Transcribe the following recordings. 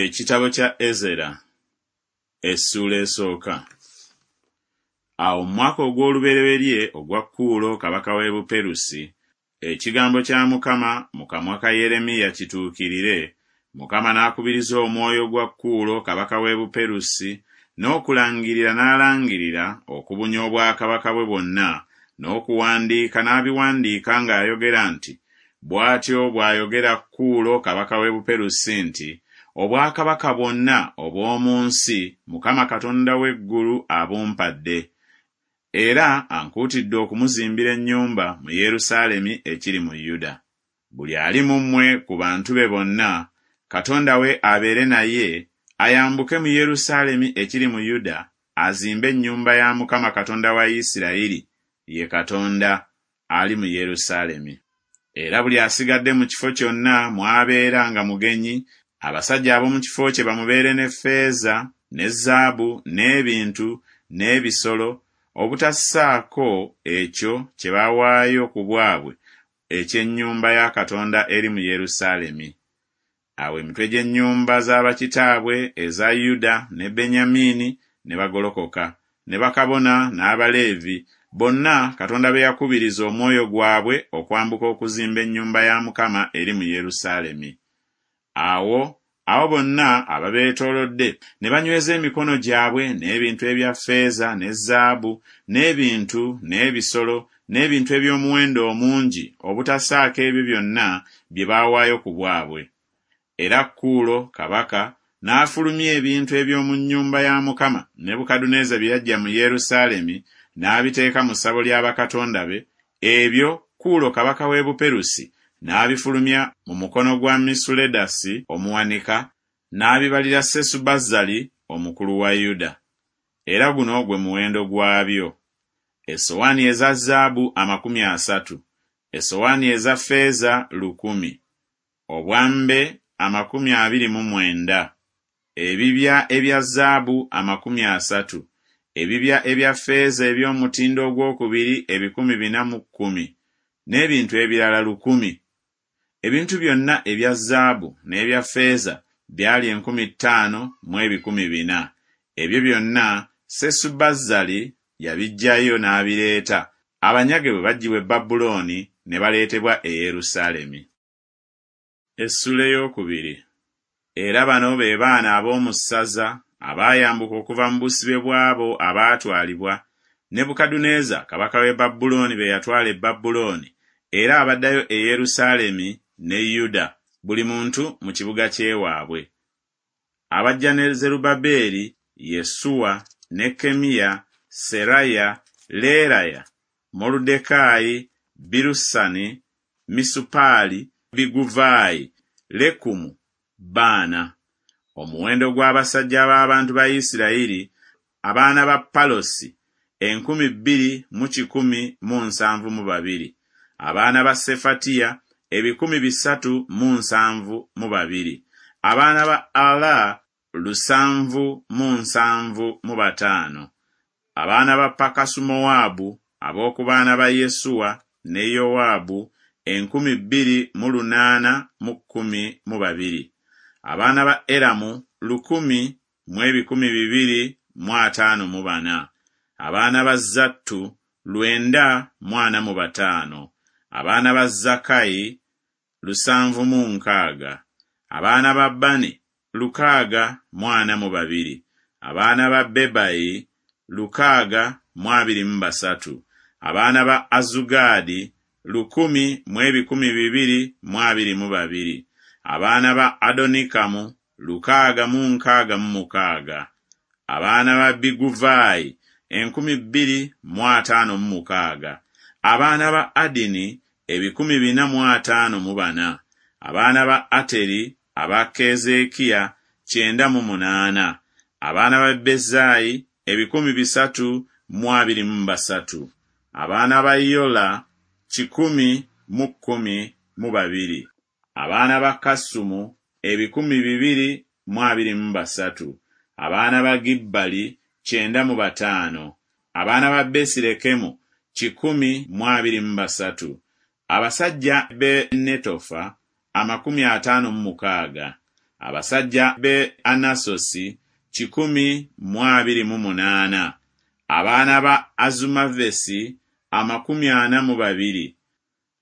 Ekitabo kya Ezera essuula esooka. Awo mu mwaka ogw'olubereberye ogwa Kuulo kabaka w'e Buperusi, ekigambo kya Mukama mu kamwa ka Yeremiya kituukirire, Mukama n'akubiriza omwoyo gwa Kuulo kabaka w'e Buperusi n'okulangirira n'alangirira okubunya obwakabaka bwe bwonna, n'okuwandiika n'abiwandiika ng'ayogera nti, Bw'atyo bw'ayogera Kuulo kabaka w'e Buperusi nti, Obwakabaka bwonna obw'omu nsi Mukama Katonda w'eggulu abumpadde, era ankuutidde okumuzimbira ennyumba mu Yerusaalemi ekiri mu Yuda. Buli ali mu mmwe ku bantu be bonna, Katonda we abeere naye, ayambuke mu Yerusaalemi ekiri mu Yuda azimbe ennyumba ya Mukama Katonda wa Isirayiri, ye Katonda, ali mu Yerusaalemi. Era buli asigadde mu kifo kyonna mw'abeera nga mugenyi, abasajja ab'omu kifo kye bamubeere ne ffeeza ne zaabu n'ebintu n'ebisolo, obutassaako ekyo kye bawaayo ku bwabwe eky'ennyumba ya Katonda eri mu Yerusaalemi. Awo emitwe gy'ennyumba za bakitaabwe eza Yuda ne Benyamini ne bagolokoka, ne bakabona n'Abaleevi, bonna Katonda be yakubiriza omwoyo gwabwe okwambuka okuzimba ennyumba ya Mukama eri mu Yerusaalemi. Awo abo bonna ababeetoolodde ne banyweza emikono gyabwe n'ebintu ebya ffeeza ne zaabu n'ebintu n'ebisolo n'ebintu eby'omuwendo omungi obutassaako ebyo byonna bye baawaayo ku bwabwe. Era Kuulo kabaka n'afulumya ebintu eby'omu nnyumba ya Mukama Nebukadduneeza bye yaggya mu Yerusaalemi n'abiteeka mu ssabo lya bakatonda be, ebyo Kuulo kabaka w'e Buperusi n'abifulumya mu mukono gwa Misuledasi omuwanika, n'abibalira Sesubazzali omukulu wa Yuda. Era guno gwe muwendo gwabyo, essowaani eza zaabu 30, essowaani eza ffeeza 1000, obwambe 29, ebibya ebya zaabu 30, ebibya ebya ffeeza eby'omutindo ogwokubiri 410, n'ebintu ebirala 1000. Ebintu byonna ebya zaabu n'ebya ffeeza byali 5400. Ebyo byonna Sesubazzali yabiggyayo n'abireeta, abanyage bwe baggyibwa e Babulooni ne baleetebwa e Yerusaalemi. Essuula ey'okubiri. Era bano be baana ab'omu ssaza abaayambuka okuva mu busibe bw'abo abaatwalibwa, Nebukadduneeza kabaka w'e Babulooni be yatwala e Babulooni, era abaddayo e Yerusaalemi ne Yuda, buli muntu mu kibuga ky'ewaabwe. Abajja ne Zerubbaberi, Yesuwa, Nekkemiya, Seraya, Leeraya, Moluddekaayi, Birusani, Misupaali, Biguvaayi, Lekumu, Baana. Omuwendo gw'abasajja b'abantu ba Isirayiri, abaana ba Palosi, 2172. Abaana ba Sefatiya, 372. Abaana ba Ala, 775. Abaana ba Pakasumowaabu, ab'oku baana ba Yesuwa ne Yowaabu, 2812. Abaana ba Eramu, 100254. Abaana ba Zattu, 945. Abaana ba Zakkayi, 760. Abaana ba Bani, 642. Abaana ba Bebayi, 623. Abaana ba Azugaadi, 100222. Abaana ba Adonikamu, 666. Abaana ba Biguvaayi, 2056. Abaana ba Adini, 454. Abaana ba Ateri, aba Keezeekiya, 98. Abaana ba Bezayi, 323. Abaana ba Yola, 112. Abaana ba Kasumu, 2023. Abaana ba Gibbali, 95. Abaana ba Besirekemu, 123. Abasajja b'e Netofa, 56. Abasajja b'e Anasosi 128. Abaana ba Azumavesi 42.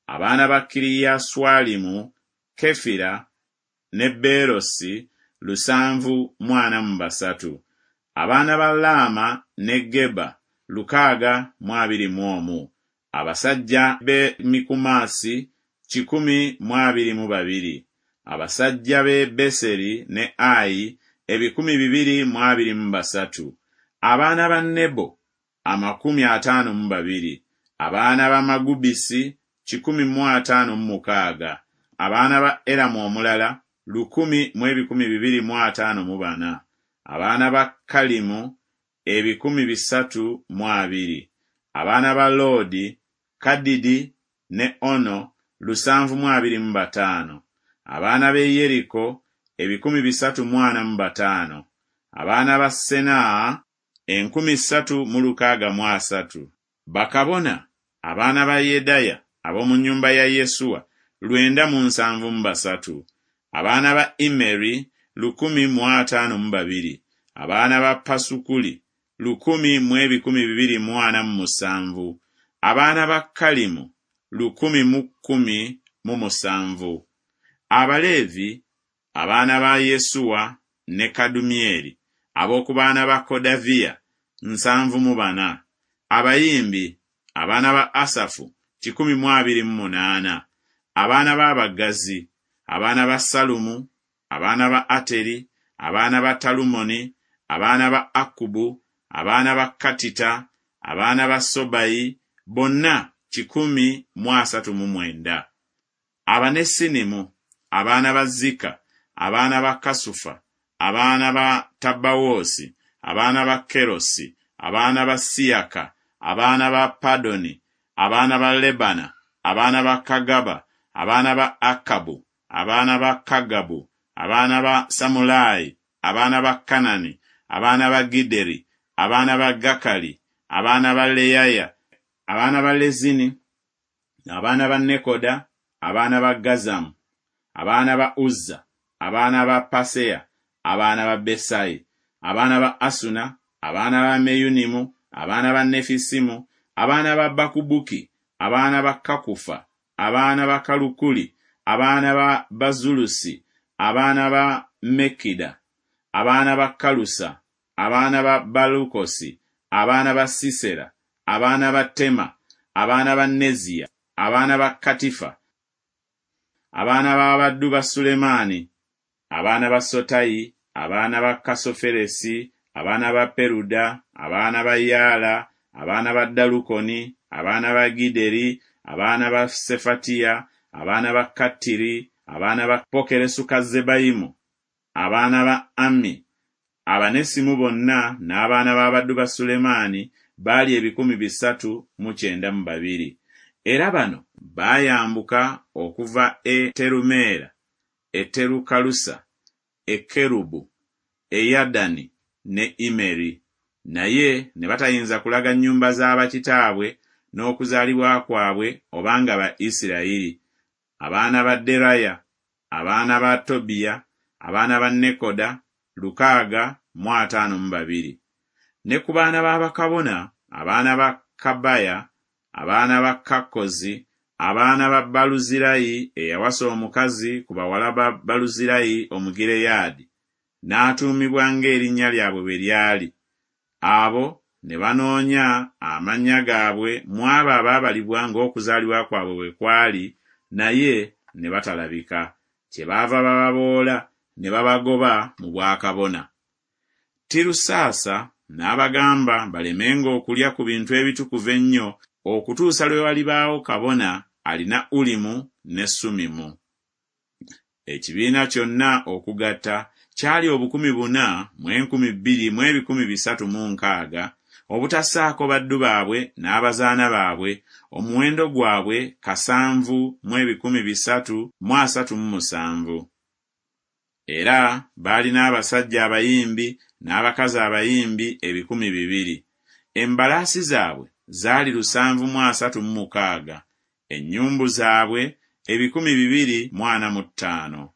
Abaana ba Kiriyaswalimu, Kefira ne Beerosi 743. Abaana ba Laama ne Geba 621. Abasajja b'e Mikumasi 122. Abasajja b'e Beseri ne Ayi 2,023. Abaana ba Nebo 52. Abaana ba Magubisi 156. Abaana ba Eramu omulala 1,254. Abaana ba Kalimu 320. Abaana ba Loodi, Kadidi ne Ono 725. Abaana b'e Yeriko 345. Abaana ba Senaa 3,630. Bakabona abaana ba Yedaya ab'omu nnyumba ya Yesuwa 973. Abaana ba Immeri 1,052. Abaana ba Pasukuli 1,247. Abaana ba Kalimu 1,017. Abaleevi abaana ba Yesuwa ne Kadumyeri ab'oku baana ba Kodaviya 74. Abayimbi abaana ba Asafu 128. Abaana b'abaggazi abaana ba Salumu, abaana ba Ateri, abaana ba Talumoni, abaana ba Akkubu, abaana ba Katita, abaana ba Sobayi, bonna 139. Abanesinimu abaana ba Zika, abaana ba Kasufa, abaana ba Tabbawoosi, abaana ba Kerosi, abaana ba Siyaka, abaana ba Padoni, abaana ba Lebana, abaana ba Kagaba, abaana ba Akabu, abaana ba Kagabu, abaana ba Samulaayi, abaana ba Kanani, abaana ba Gideri, abaana ba Gakali, abaana ba Leyaya, abaana ba Lezini, abaana ba Nekoda, abaana ba Gazamu, abaana ba Uzza, abaana ba Paseya, abaana ba Besayi, abaana ba Asuna, abaana ba Meyunimu, abaana ba Nefisimu, abaana ba Bakubuki, abaana ba Kakufa, abaana ba Kalukuli, abaana ba Bazulusi, abaana ba Mekida, abaana ba Kalusa, abaana ba Balukosi, abaana ba Sisera, abaana ba Tema, abaana ba Neziya, abaana ba Katifa, abaana b'abaddu ba Sulemaani, abaana ba Sotayi, abaana ba Kasoferesi, abaana ba Peruda, abaana ba Yaala, abaana ba Dalukoni, abaana ba Gideri, abaana ba Sefatiya, abaana ba Kattiri, abaana ba Pokeresukazebayimu, abaana ba Ammi. Abanesimu bonna n'abaana b'abaddu ba Sulemaani baali 392. Era bano baayambuka okuva e Terumeera, e Terukalusa, e Kerubu, e Yadani ne Imeri, naye ne batayinza kulaga nnyumba za bakitaabwe n'okuzaalibwa kwabwe obanga ba Isirayiri. Abaana ba Deraya, abaana ba Tobiya, abaana ba Nekoda 652. Ne ku baana ba bakabona, abaana ba Kabaya, abaana ba Kakkozi, abaana ba Baluzirayi eyawasa omukazi ku bawala ba Baluzirayi Omugireyaadi, n'atuumibwa ng'erinnya lyabwe bwe lyali. Abo ne banoonya amannya gaabwe mu abo abaabalibwa ng'okuzaalibwa kwabwe bwe kwali, naye ne batalabika. Kyebaava bababoola ne babagoba mu bwakabona. Tirusaasa n'abagamba balemenga okulya ku bintu ebitukuvu ennyo okutuusa lwe walibaawo kabona alina Ulimu ne Sumimu. Ekibiina kyonna okugatta kyali 4,002 360, obutassaako baddu baabwe n'abazaana baabwe, omuwendo gwabwe 7 337. Era baalina abasajja abayimbi n'abakazi abayimbi 2,000. Embalaasi zaabwe zaali 736, ennyumbu zaabwe 2,045,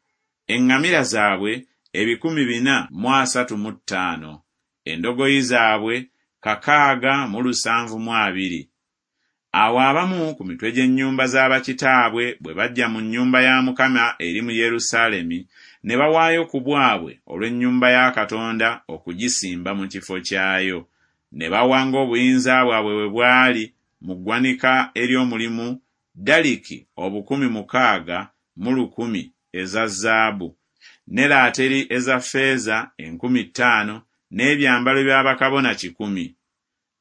eŋŋamira zaabwe 435, endogoyi zaabwe 672. Awo abamu ku mitwe gy'ennyumba za bakitaabwe bwe bajja mu nnyumba ya Mukama eri mu Yerusaalemi, ne bawaayo ku bwabwe olw'ennyumba ya Katonda okugisimba mu kifo kyayo. Ne bawa ng'obuyinza bwabwe bwe bwali mu ggwanika ery'omulimu daliki 6,100 eza zaabu, ne laateri eza ffeeza 5,000, n'ebyambalo bya bakabona 100.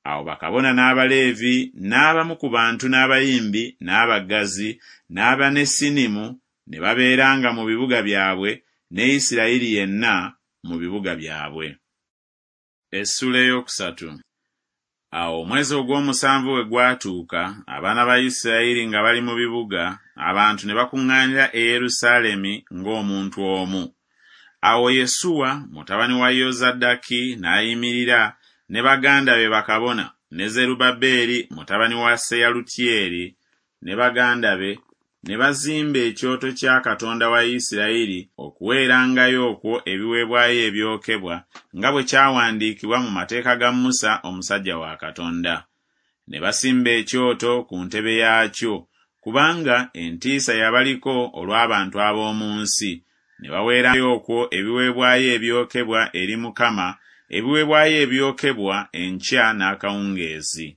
Awo bakabona n'Abaleevi n'abamu ku bantu n'abayimbi n'abaggazi n'Abanesinimu ne babeeranga mu bibuga byabwe, ne Isirayiri yenna mu bibuga byabwe. Essuula ey'okusatu. Awo omwezi ogw'omusanvu bwe gwatuuka, abaana ba Isirayiri nga bali mu bibuga, abantu ne bakuŋŋaanira e Yerusaalemi ng'omuntu omu. Awo Yesuwa mutabani wa Yozadaki n'ayimirira ne baganda be bakabona, ne Zerubbaberi mutabani wa Seyalutyeri ne baganda be, ne bazimba ekyoto kya Katonda wa Isirayiri okuweerangayo okwo ebiweebwayo ebyokebwa, nga bwe kyawandiikibwa mu mateeka ga Musa omusajja wa Katonda. Ne basimba ekyoto ku ntebe yaakyo, kubanga entiisa yabaliko olw'abantu ab'omu nsi, ne baweerayo okwo ebiweebwayo ebyokebwa eri Mukama, ebiweebwayo ebyokebwa enkya n'akawungeezi.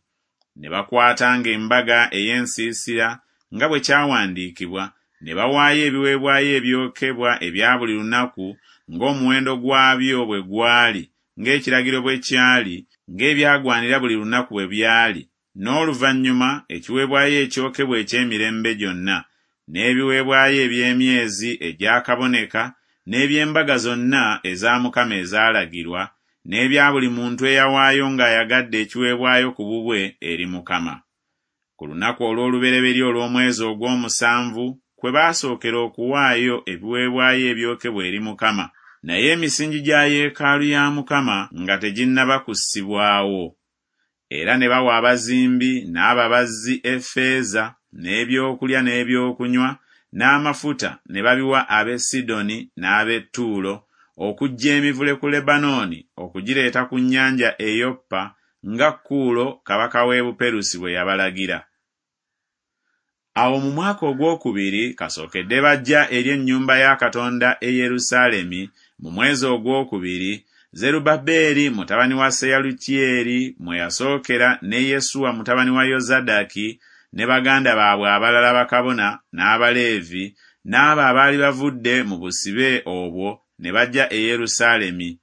Ne bakwatanga embaga ey'ensiisira nga bwe kyawandiikibwa, ne bawaayo ebiweebwayo ebyokebwa ebya buli lunaku ng'omuwendo gwabyo bwe gwali, ng'ekiragiro bwe kyali, ng'ebyagwanira buli lunaku bwe byali, n'oluvannyuma ekiweebwayo ekyokebwa eky'emirembe gyonna, n'ebiweebwayo eby'emyezi egyakaboneka, n'eby'embaga zonna eza Mukama ezaalagirwa, n'ebya buli muntu eyawaayo ng'ayagadde ekiweebwayo ku bubwe eri Mukama. Ku lunaku olw'olubereberye olw'omwezi ogw'omusanvu kwe baasookera okuwaayo ebiweebwayo ebyokebwa eri Mukama, naye emisingi gya yeekaalu ya Mukama nga teginnaba kussibwawo. Era ne bawa abazimbi n'ababazzi effeeza, n'ebyokulya n'ebyokunywa, n'amafuta ne babiwa ab'e Sidoni n'ab'e Ttuulo, okuggya emivule ku Lebanooni okugireeta ku nnyanja e Yoppa, nga Kuulo kabaka w'e Buperusi bwe yabalagira. Awo mu mwaka ogwokubiri kasookedde bajja eri ennyumba ya Katonda e Yerusaalemi mu mwezi ogwokubiri, Zerubbaberi mutabani wa Seyalutyeri mwe yasookera ne Yesuwa mutabani wa Yozadaki ne baganda baabwe abalala bakabona n'Abaleevi n'abo abaali bavudde mu busibe obwo ne bajja e Yerusaalemi.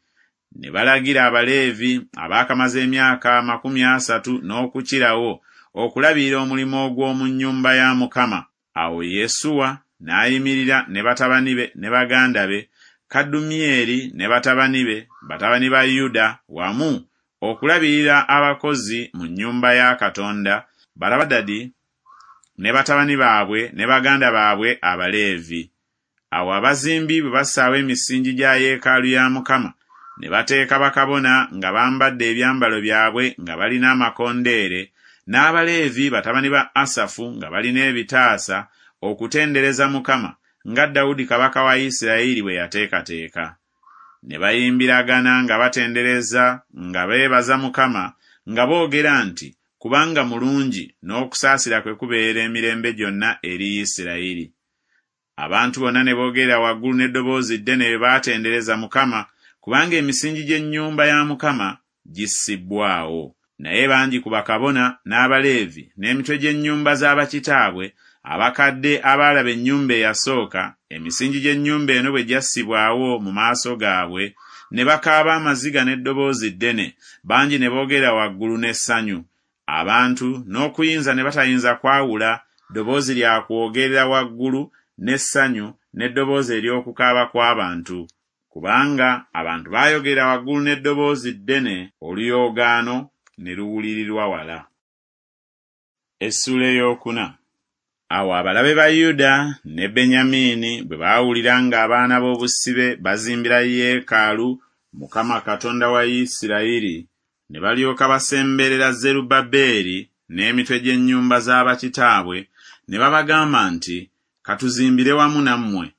Ne balagira Abaleevi abaakamaze emyaka 30 n'okukirawo okulabirira omulimu ogw'omu nnyumba ya Mukama. Awo Yesuwa n'ayimirira ne batabani be ne baganda be, Kadumyeri ne batabani be, batabani ba Yuda, wamu okulabirira abakozi mu nnyumba ya Katonda, Balabadadi ne batabani baabwe ne baganda baabwe Abaleevi. Awo abazimbi bwe bassaawo emisingi gya yeekaalu ya Mukama, ne bateeka bakabona nga bambadde ebyambalo byabwe nga balina amakondeere, n'Abaleevi batabani ba Asafu nga balina ebitaasa, okutendereza Mukama, nga Dawudi kabaka wa Isirayiri bwe yateekateeka. Ne bayimbiragana nga batendereza nga beebaza Mukama, nga boogera nti, Kubanga mulungi, n'okusaasira kwe kubeera emirembe gyonna eri Isirayiri. Abantu bonna ne boogerera waggulu n'eddoboozi ddene bwe baatendereza Mukama, kubanga emisingi gy'ennyumba ya Mukama gissibbwawo. Naye bangi ku bakabona n'Abaleevi n'emitwe gy'ennyumba za bakitaabwe, abakadde abaalaba ennyumba eyasooka, emisingi gy'ennyumba eno bwe gyassibwawo mu maaso gaabwe, ne bakaaba amaziga n'eddoboozi ddene, bangi ne boogerera waggulu n'essanyu. Abantu n'okuyinza ne batayinza kwawula ddoboozi lya kwogerera waggulu n'essanyu n'eddoboozi ery'okukaaba kw'abantu, kubanga abantu baayogerera waggulu n'eddoboozi ddene, oluyoogaano ne luwulirirwa wala. Essuula ey'okuna. Awo abalabe ba Yuda ne Benyamini bwe baawulira ng'abaana b'obusibe bazimbira yeekaalu Mukama Katonda wa Isirayiri, ne balyoka basemberera Zerubbaberi n'emitwe gy'ennyumba za bakitaabwe, ne babagamba nti, Ka tuzimbire wamu nammwe,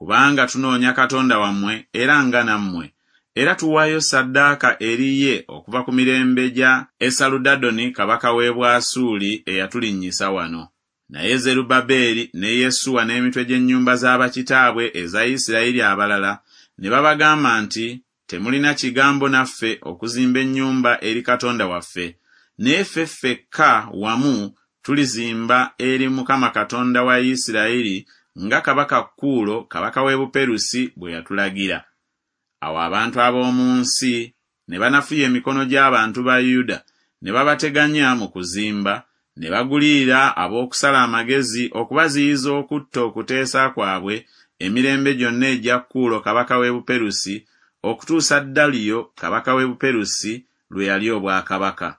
Kubanga tunoonya Katonda wammwe era nga nammwe, era tuwaayo ssaddaaka eri ye okuva ku mirembe gya Esaludadoni kabaka w'e Bwasuuli eyatulinnyisa wano. Naye Zerubbaberi ne Yesuwa n'emitwe gy'ennyumba za bakitaabwe eza Isirayiri abalala ne babagamba nti, Temulina kigambo naffe okuzimba ennyumba eri Katonda waffe, naye ffe ffekka wamu tulizimba eri Mukama Katonda wa Isirayiri nga kabaka Kuulo kabaka w'e Buperusi bwe yatulagira. Awo abantu ab'omu nsi ne banafuya emikono gy'abantu ba Yuda ne babateganya mu kuzimba, ne bagulirira ab'okusala amagezi okubaziyiza okutta okuteesa kwabwe emirembe gyonna egya Kuulo kabaka w'e Buperusi okutuusa Daliyo kabaka w'e Buperusi lwe yalya obwakabaka.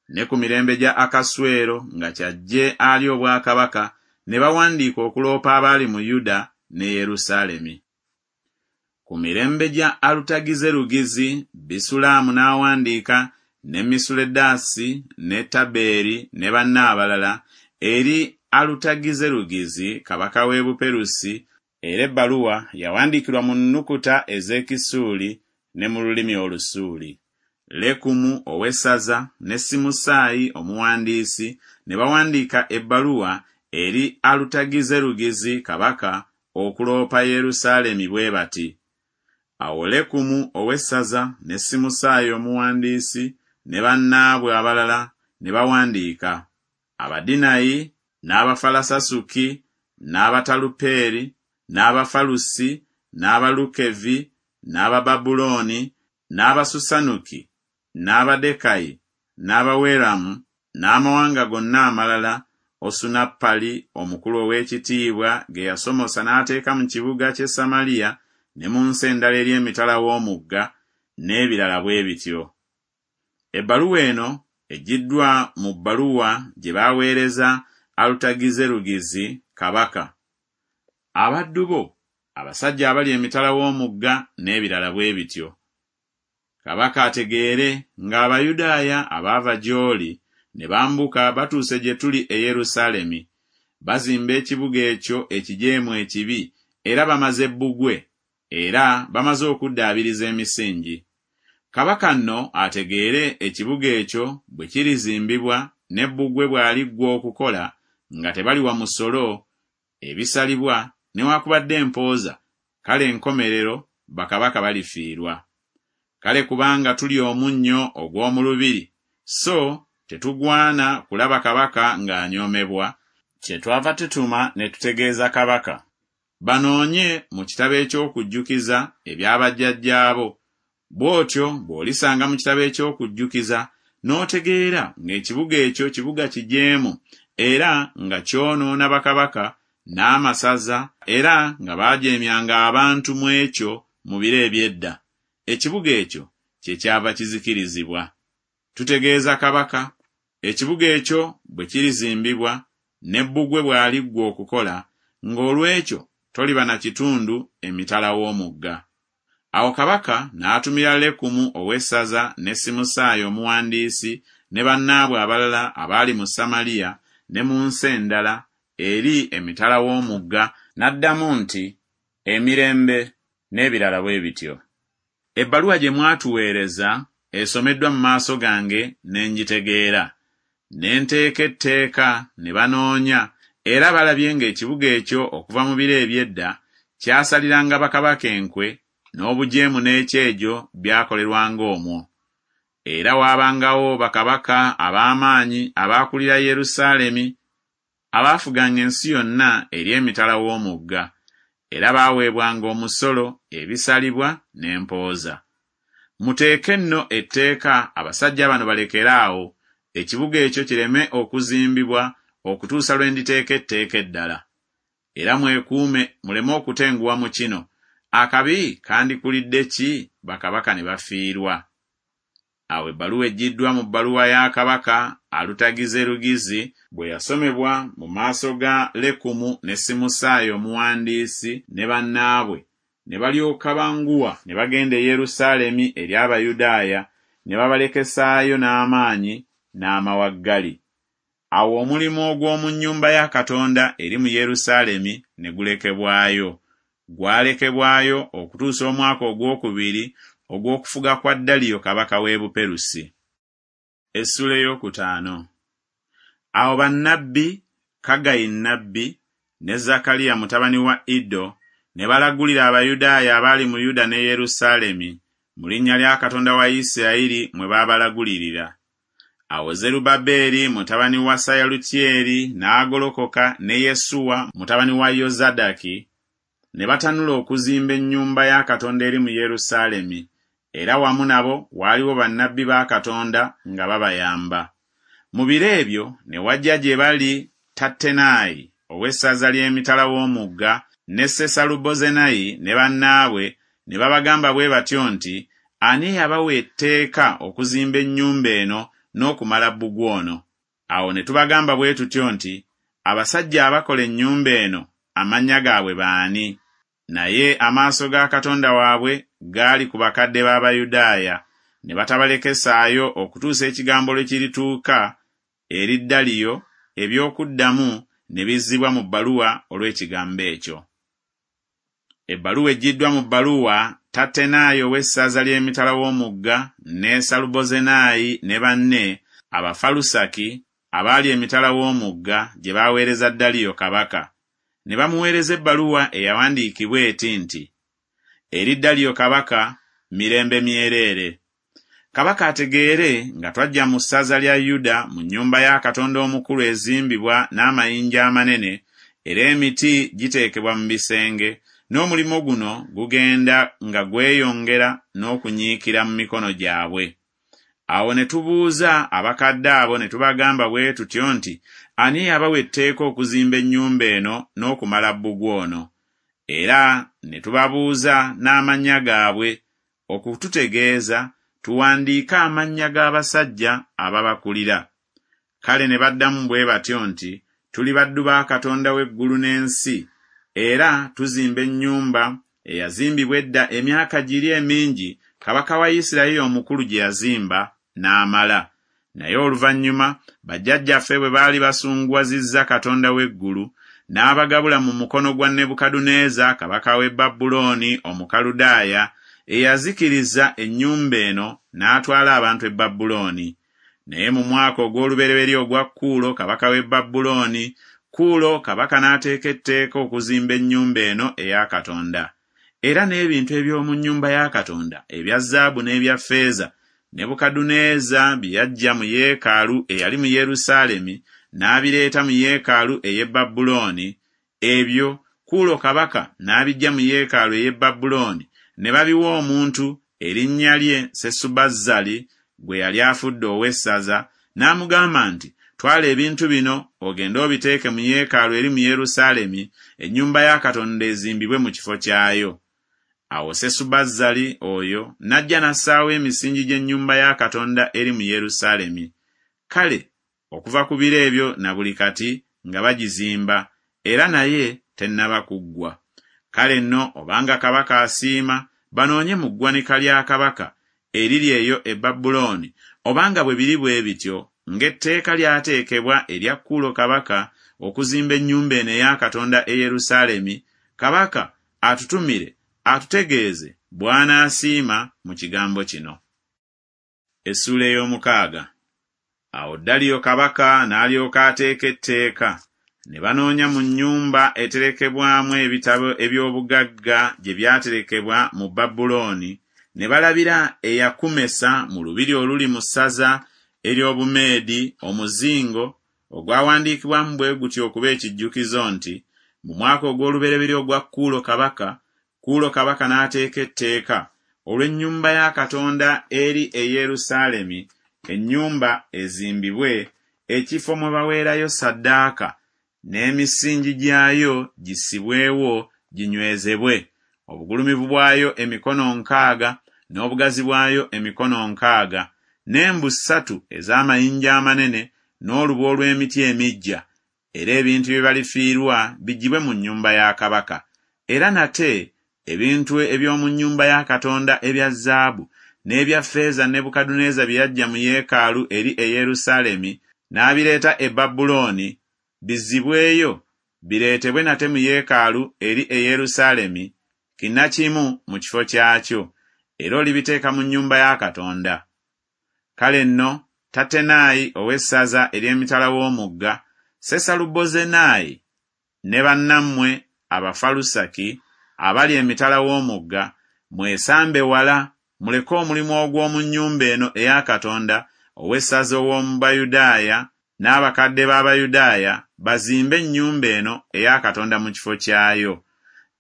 Ne ku mirembe gya Akaswero nga kyajje alya obwakabaka ne bawandiika okuloopa abaali mu Yuda ne Yerusaalemi. Ku mirembe gya Alutagizerugizi, Bisulaamu n'awandiika ne Misuledasi ne Tabeeri ne banne abalala eri Alutagizerugizi kabaka w'e Buperusi, era ebbaluwa yawandiikirwa mu nnukuta ez'Ekisuuli ne mu lulimi Olusuuli. Lekumu ow'essaza ne Simusaayi omuwandiisi ne bawandiika ebbaluwa eri Alutagizerugizi kabaka okuloopa Yerusaalemi bwe bati, Awo Lekumu ow'essaza ne Simusaayi omuwandiisi ne bannaabwe abalala ne bawandiika, Abadinayi n'Abafalasasuki n'Abatalupeeri n'Abafalusi n'Abalukevi n'Abababulooni n'Abasusanuki n'Abadekayi n'Abaweramu n'amawanga gonna amalala Osunappali omukulu ow'ekitiibwa ge yasomosa n'ateeka mu kibuga ky'e Samaliya ne mu nsi endala eri emitala w'omugga, n'ebirala bwe bityo. Ebbaluwa eno eggyiddwa mu bbaluwa gye baaweereza Alutagizerugizi kabaka. Abaddu bo, abasajja abali emitala w'omugga, n'ebirala bwe bityo. Kabaka ategeere ng'Abayudaaya abaava gy'oli ne bambuka batuuse gye tuli e Yerusaalemi. Bazimba ekibuga ekyo ekijeemu ekibi, era bamaze bbugwe, era bamaze okuddaabiriza emisingi. Kabaka nno ategeere ekibuga ekyo bwe kirizimbibwa ne bbugwe bw'aliggwa okukola, nga tebaliwa musolo, ebisalibwa, newakubadde empooza, kale enkomerero bakabaka balifiirwa. Kale kubanga tuli omunnyo ogw'omu lubiri, so tetugwana kulaba kabaka ng'anyoomebwa, kyetwava tutuma ne tutegeeza kabaka, banoonye mu kitabo eky'okujjukiza ebya bajjajjaabo, bw'otyo bw'olisanga mu kitabo eky'okujjukiza n'otegeera ng'ekibuga ekyo kibuga kijeemu era nga kyonoona bakabaka n'amasaza era nga baajeemyanga abantu mu ekyo mu biro eby'edda. Ekibuga ekyo kyekyava kizikirizibwa. Tutegeeza kabaka, ekibuga ekyo bwe kirizimbibwa, ne bbugwe bw'aliggwa okukola, ng'olw'ekyo toliba na kitundu emitala w'omugga. Awo kabaka n'atumira Lekumu ow'essaza ne Simusaayi omuwandiisi ne bannaabwe abalala abaali mu Samaliya ne mu nsi endala eri emitala w'omugga, n'addamu nti, Emirembe, n'ebirala bwe bityo. Ebbaluwa gye mwatuweereza esomeddwa mu maaso gange ne ngitegeera. Ne nteeka etteeka ne banoonya, era balabye ng'ekibuga ekyo okuva mu biro eby'edda kyasaliranga bakabaka enkwe, n'obujeemu n'ekyejo byakolerwanga omwo. Era waabangawo bakabaka ab'amaanyi abaakulira Yerusaalemi, abaafuganga ensi yonna eri emitala w'omugga, era baaweebwanga omusolo, ebisalibwa, n'empooza. Muteeke nno etteeka abasajja bano balekere awo, ekibuga ekyo kireme okuzimbibwa okutuusa lwe nditeeka etteeka eddala. Era mwekuume muleme okutenguwa mu kino, akabi kandikulidde ki bakabaka ne bafiirwa? Awo ebbaluwa eggyiddwa mu bbaluwa ya kabaka Alutagizerugizi bwe yasomebwa mu maaso ga Lekumu ne Simusaayi omuwandiisi ne bannaabwe, ne balyoka banguwa ne bagenda e Yerusaalemi eri Abayudaaya ne babalekesaayo n'amaanyi n'amawaggali. Awo omulimu ogw'omu nnyumba ya Katonda eri mu Yerusaalemi ne gulekebwayo. Gwalekebwayo okutuusa omwaka ogwokubiri ogw'okufuga kwa Daliyo kabaka w'e Buperusi. Essuula eyokutaano. Awo bannabbi, Kaggayi nnabbi ne Zakaliya mutabani wa Iddo ne balagulira Abayudaaya abaali mu Yuda ne Yerusaalemi, mu linnya lya Katonda wa Isirayiri mwe baabalagulirira. Awo Zerubbaberi mutabani wa Sayalutyeri n'agolokoka ne Yesuwa mutabani wa Yozadaki ne batanula okuzimba ennyumba ya Katonda eri mu Yerusaalemi, era wamu nabo waaliwo bannabbi ba Katonda nga babayamba. Mu biro ebyo ne wajja gye bali Tattenayi ow'essaza ly'emitala w'omugga ne Sesalubozenayi ne bannaabwe ne babagamba bwe batyo nti, Ani eyabawa etteeka okuzimba ennyumba eno n'okumala bbugwe ono? Awo ne tubagamba bwe tutyo nti, Abasajja abakola ennyumba eno amannya gaabwe baani? Naye amaaso ga Katonda waabwe gaali ku bakadde b'Abayudaaya, ne batabalekesaayo okutuusa ekigambo lwe kirituuka eri Daliyo, eby'okuddamu ne bizzibwa mu bbaluwa olw'ekigambo ekyo. Ebbaluwa eggyiddwa mu bbaluwa Tattenayi ow'essaza ly'emitala w'omugga ne Salubozenayi ne banne Abafalusaki abaali emitala w'omugga gye baaweereza Daliyo kabaka. Ne bamuweereza ebbaluwa eyawandiikibwa eti nti, Eri Daliyo kabaka, mirembe myereere. Kabaka ategeere nga twajja mu ssaza lya Yuda mu nnyumba ya Katonda omukulu ezimbibwa n'amayinja amanene, era emiti giteekebwa mu bisenge, n'omulimu guno gugenda nga gweyongera n'okunyiikira mu mikono gyabwe. Awo ne tubuuza abakadde abo ne tubagamba bwe tutyo nti, Ani eyabawa etteeka okuzimba ennyumba eno n'okumala bbugwe ono? Era ne tubabuuza n'amannya gaabwe, okututegeeza tuwandiike amannya g'abasajja ababakulira. Kale ne baddamu bwe batyo nti, Tuli baddu ba Katonda w'eggulu n'ensi, era tuzimba ennyumba eyazimbibwa edda emyaka giri emingi kabaka wa Isirayiri omukulu gye yazimba n'amala. Naye oluvannyuma bajjajjaffe bwe baali basunguwazizza Katonda w'eggulu, n'abagabula mu mukono gwa Nebukadduneeza kabaka w'e Babulooni Omukaludaaya, eyazikiriza ennyumba eno n'atwala abantu e Babulooni. Naye mu mwaka ogw'olubereberye ogwa Kuulo kabaka w'e Babulooni, Kuulo kabaka n'ateeka etteeka okuzimba ennyumba eno eya Katonda. Era n'ebintu eby'omu nnyumba ya Katonda ebya zaabu n'ebya ffeeza, Nebukadduneeza bye yaggya mu yeekaalu eyali mu Yerusaalemi n'abireeta mu yeekaalu ey'e Babulooni, ebyo Kuulo kabaka n'abiggya mu yeekaalu ey'e Babulooni ne babiwa omuntu erinnya lye Sesubazzali gwe yali afudde ow'essaza, n'amugamba nti, Twala ebintu bino ogende obiteeke mu yeekaalu eri mu Yerusaalemi, ennyumba ya Katonda ezimbibwe mu kifo kyayo. Awo Sesubazzali oyo n'ajja n'assaawo emisingi gy'ennyumba ya Katonda eri mu Yerusaalemi. Kale okuva ku biro ebyo na buli kati nga bagizimba, era naye tennaba kuggwa. Kale nno obanga kabaka asiima, banoonye mu ggwanika lya kabaka eriri eyo e Babulooni, obanga bwe biri bwe bityo, ng'etteeka lyateekebwa erya Kuulo kabaka okuzimba ennyumba eno eya Katonda e Yerusaalemi, kabaka atutumire atutegeeze bw'anaasiima mu kigambo kino. Essuula ey'omukaaga. Awo Daliyo kabaka n'alyoka ateeka etteeka, ne banoonya mu nnyumba eterekebwamu ebitabo eby'obugagga gye byaterekebwa mu Babulooni, ne balabira eyakumesa mu lubiri oluli mu ssaza ery'Obumeedi omuzingo ogwawandiikibwamu bwe gutyo okuba ekijjukizo nti, Mu mwaka ogw'olubereberye ogwa Kuulo kabaka, Kuulo kabaka n'ateeka etteeka olw'ennyumba ya Katonda eri e Yerusaalemi, ennyumba ezimbibwe, ekifo mwe baweerayo ssaddaaka, n'emisingi gyayo gissibwewo ginywezebwe, obugulumivu bwayo emikono nkaaga, n'obugazi bwayo emikono nkaaga, n'embu ssatu ez'amayinja amanene, n'olubu olw'emiti emiggya, era ebintu bye balifiirwa biggyibwe mu nnyumba ya kabaka. Era nate ebintu eby'omu nnyumba ya Katonda ebya zaabu n'ebya ffeeza Nebukadduneeza bye yaggya mu yeekaalu eri e Yerusaalemi n'abireeta e Babulooni, bizzibweyo bireetebwe nate mu yeekaalu eri e Yerusaalemi kinnakimu mu kifo kyakyo, era olibiteeka mu nnyumba ya Katonda. Kale nno Tattenayi ow'essaza ery'emitala w'omugga, Sesalubozenayi ne bannammwe Abafalusaki abali emitala w'omugga, mwesambe wala, muleke omulimu ogw'omu nnyumba eno eya Katonda, ow'essaza ow'omu Bayudaaya n'abakadde b'Abayudaaya bazimbe ennyumba eno eya Katonda mu kifo kyayo.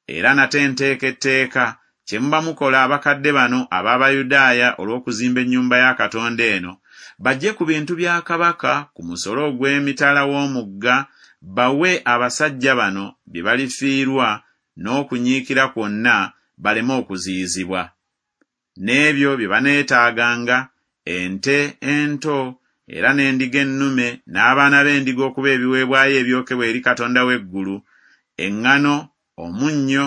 Era nate nteeka etteeka, kye muba mukola abakadde bano ab'Abayudaaya olw'okuzimba ennyumba ya Katonda eno, baggye ku bintu bya kabaka ku musolo ogw'emitala w'omugga, bawe abasajja bano bye balifiirwa n'okunyiikira kwonna, baleme okuziyizibwa. N'ebyo bye baneetaaganga, ente ento era n'endiga ennume n'abaana b'endiga okuba ebiweebwayo ebyokebwa eri Katonda w'eggulu, eŋŋano, omunnyo,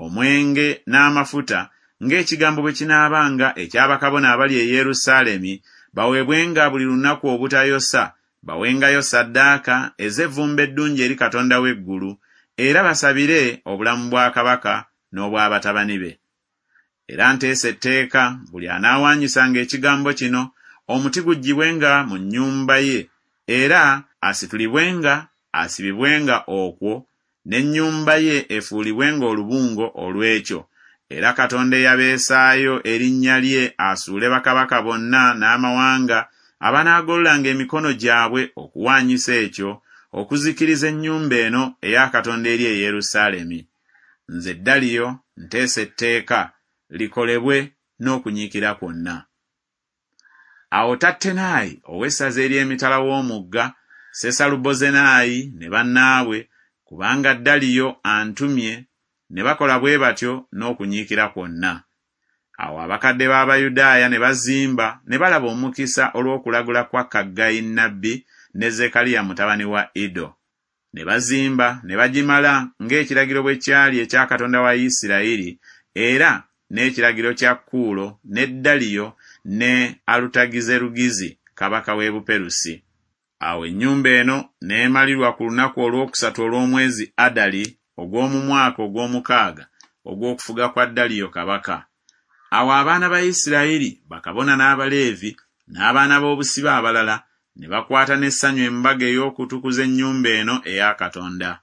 omwenge n'amafuta, ng'ekigambo bwe kinaabanga ekya bakabona abali e Yerusaalemi, baweebwenga buli lunaku obutayosa, bawengayo ssaddaaka ez'evvumbe eddungi eri Katonda w'eggulu, era basabire obulamu bwa kabaka n'obwa batabani be. Era nteesa etteeka, buli anaawaanyisanga ekigambo kino, omuti guggyibwenga mu nnyumba ye, era asitulibwenga asibibwenga okwo, n'ennyumba ye efuulibwenga olubungo olw'ekyo. Era Katonda eyabeesaayo erinnya lye asuule bakabaka bonna n'amawanga abanaagololanga emikono gyabwe okuwaanyisa ekyo, okuzikiriza ennyumba eno eya Katonda eri e Yerusaalemi. Nze Daliyo nteesa etteeka, likolebwe n'okunyiikira kwonna. Awo Tattenayi ow'essaza ery'emitala w'omugga, Sesalubozenayi ne bannaabwe, kubanga Daliyo antumye, ne bakola bwe batyo n'okunyiikira kwonna. Awo abakadde b'Abayudaaya ne bazimba ne balaba omukisa olw'okulagula kwa Kaggayi nnabbi ne Zekkaliya mutabani wa Iddo. Ne bazimba ne bagimala ng'ekiragiro bwe kyali ekya Katonda wa Isirayiri era n'ekiragiro kya Kuulo ne Daliyo ne Alutagizerugizi kabaka w'e Buperusi. Awo ennyumba eno n'emalirwa ku lunaku olwokusatu olw'omwezi Adali ogw'omu mwaka ogw'omukaaga ogw'okufuga kwa Daliyo kabaka. Awo abaana ba Isirayiri, bakabona n'Abaleevi, n'abaana b'obusibe abalala ne bakwata n'essanyu embaga ey'okutukuza ennyumba eno eya Katonda.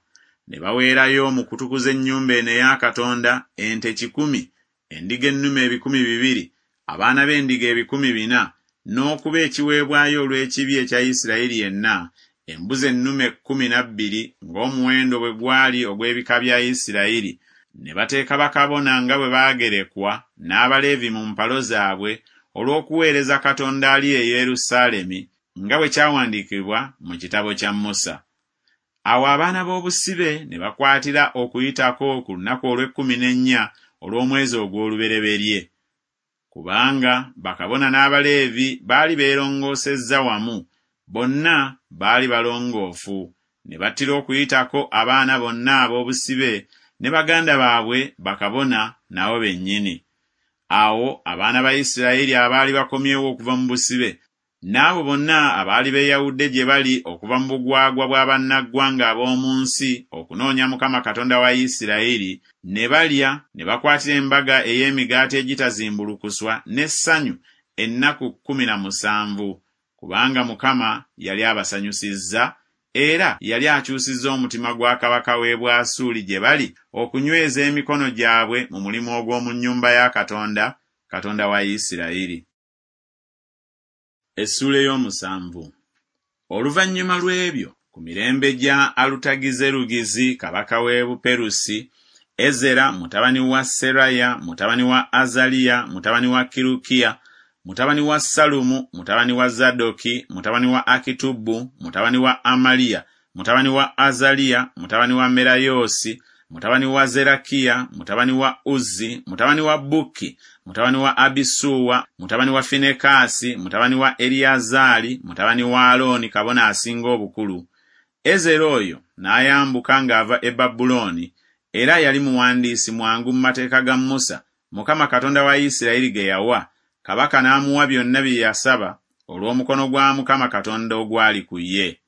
Ne baweerayo mu kutukuza ennyumba eno eya Katonda ente kikumi, endiga ennume 200, abaana b'endiga 400, n'okuba ekiweebwayo olw'ekibi ekya Isirayiri yenna, embuzi ennume 12 ng'omuwendo bwe gwali ogw'ebika bya Isirayiri. Ne bateeka bakabona nga bwe baagerekwa n'Abaleevi mu mpalo zaabwe olw'okuweereza Katonda ali e Yerusaalemi nga bwe kyawandiikibwa mu kitabo kya Musa. Awo abaana b'obusibe ne bakwatira Okuyitako ku lunaku olw'ekkumi n'ennya olw'omwezi ogw'olubereberye, kubanga bakabona n'Abaleevi baali beerongoosezza wamu, bonna baali balongoofu, ne battira Okuyitako abaana bonna ab'obusibe ne baganda baabwe bakabona nabo bennyini. Awo abaana ba Isirayiri abaali bakomyewo okuva mu busibe, n'abo bonna abaali beeyawudde gye bali okuva mu bugwagwa bwa bannaggwanga ab'omu nsi okunoonya Mukama Katonda wa Isirayiri, ne balya ne bakwatira embaga ey'emigaati egitazimbulukuswa n'essanyu ennaku 17, kubanga Mukama yali abasanyusizza, era yali akyusizza omutima gwa kabaka w'e Bwasuuli gye bali okunyweza emikono gyabwe mu mulimu ogw'omu nnyumba ya Katonda, Katonda wa Isirayiri. Essuula ey'omusanvu. Oluvannyuma lw'ebyo, ku mirembe gya Alutagizerugizi kabaka w'e Buperusi, Ezera mutabani wa Seraya mutabani wa Azaliya mutabani wa Kirukiya mutabani wa Salumu mutabani wa Zadoki mutabani wa Akitubu mutabani wa Amaliya mutabani wa Azaliya mutabani wa Merayoosi mutabani wa Zerakiya mutabani wa Uzzi mutabani wa Bukki mutabani wa Abisuwa mutabani wa Finekaasi mutabani wa Eriyazaali mutabani wa Alooni kabona asinga obukulu. Ezera oyo n'ayambuka ng'ava e Babulooni, era yali muwandiisi mwangu mu mateeka ga Musa, Mukama Katonda wa Isirayiri ge yawa, kabaka n'amuwa byonna bye yasaba olw'omukono gwa Mukama Katonda ogwali ku ye.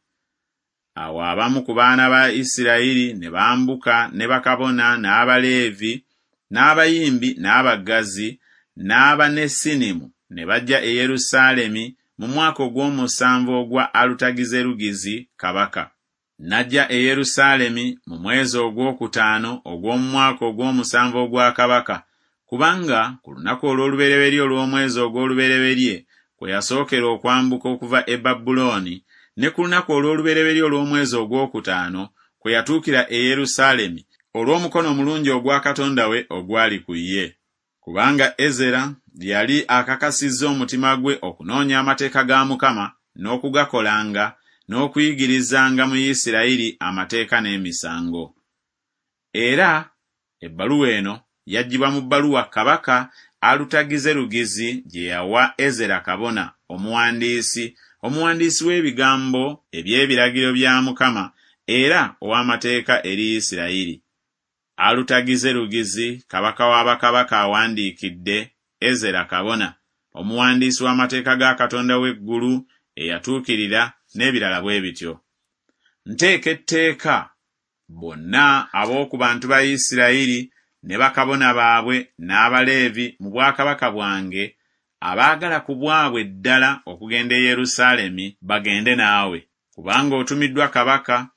Awo abamu ku baana ba Isirayiri ne bambuka ne bakabona n'Abaleevi n'abayimbi n'abaggazi n'Abanesinimu ne bajja e Yerusaalemi mu mwaka ogw'omusanvu ogwa Alutagizerugizi kabaka. N'ajja e Yerusaalemi mu mwezi ogwokutaano ogw'omu mwaka ogw'omusanvu ogwa kabaka, kubanga ku lunaku olw'olubereberye olw'omwezi ogw'olubereberye kwe yasookera okwambuka okuva e Babulooni, ne ku lunaku olw'olubereberye olw'omwezi ogwokutaano kwe yatuukira e Yerusaalemi olw'omukono omulungi ogwa Katonda we ogwali ku ye. Kubanga Ezera yali akakasizza omutima gwe okunoonya amateeka ga Mukama n'okugakolanga n'okuyigirizanga mu Isirayiri amateeka n'emisango. Era ebbaluwa eno yaggyibwa mu bbaluwa kabaka Alutagizerugizi gye yawa Ezera kabona omuwandiisi, omuwandiisi w'ebigambo eby'ebiragiro bya Mukama era ow'amateeka eri Isirayiri. Alutagizerugizi kabaka wa bakabaka awandiikidde Ezera kabona, omuwandiisi w'amateeka ga Katonda w'eggulu eyatuukirira n'ebirala bwe bityo. Nteeka etteeka bonna ab'oku bantu ba Isirayiri ne bakabona baabwe n'Abaleevi mu bwakabaka bwange abaagala ku bwabwe ddala okugenda e Yerusaalemi bagende naawe, kubanga otumiddwa kabaka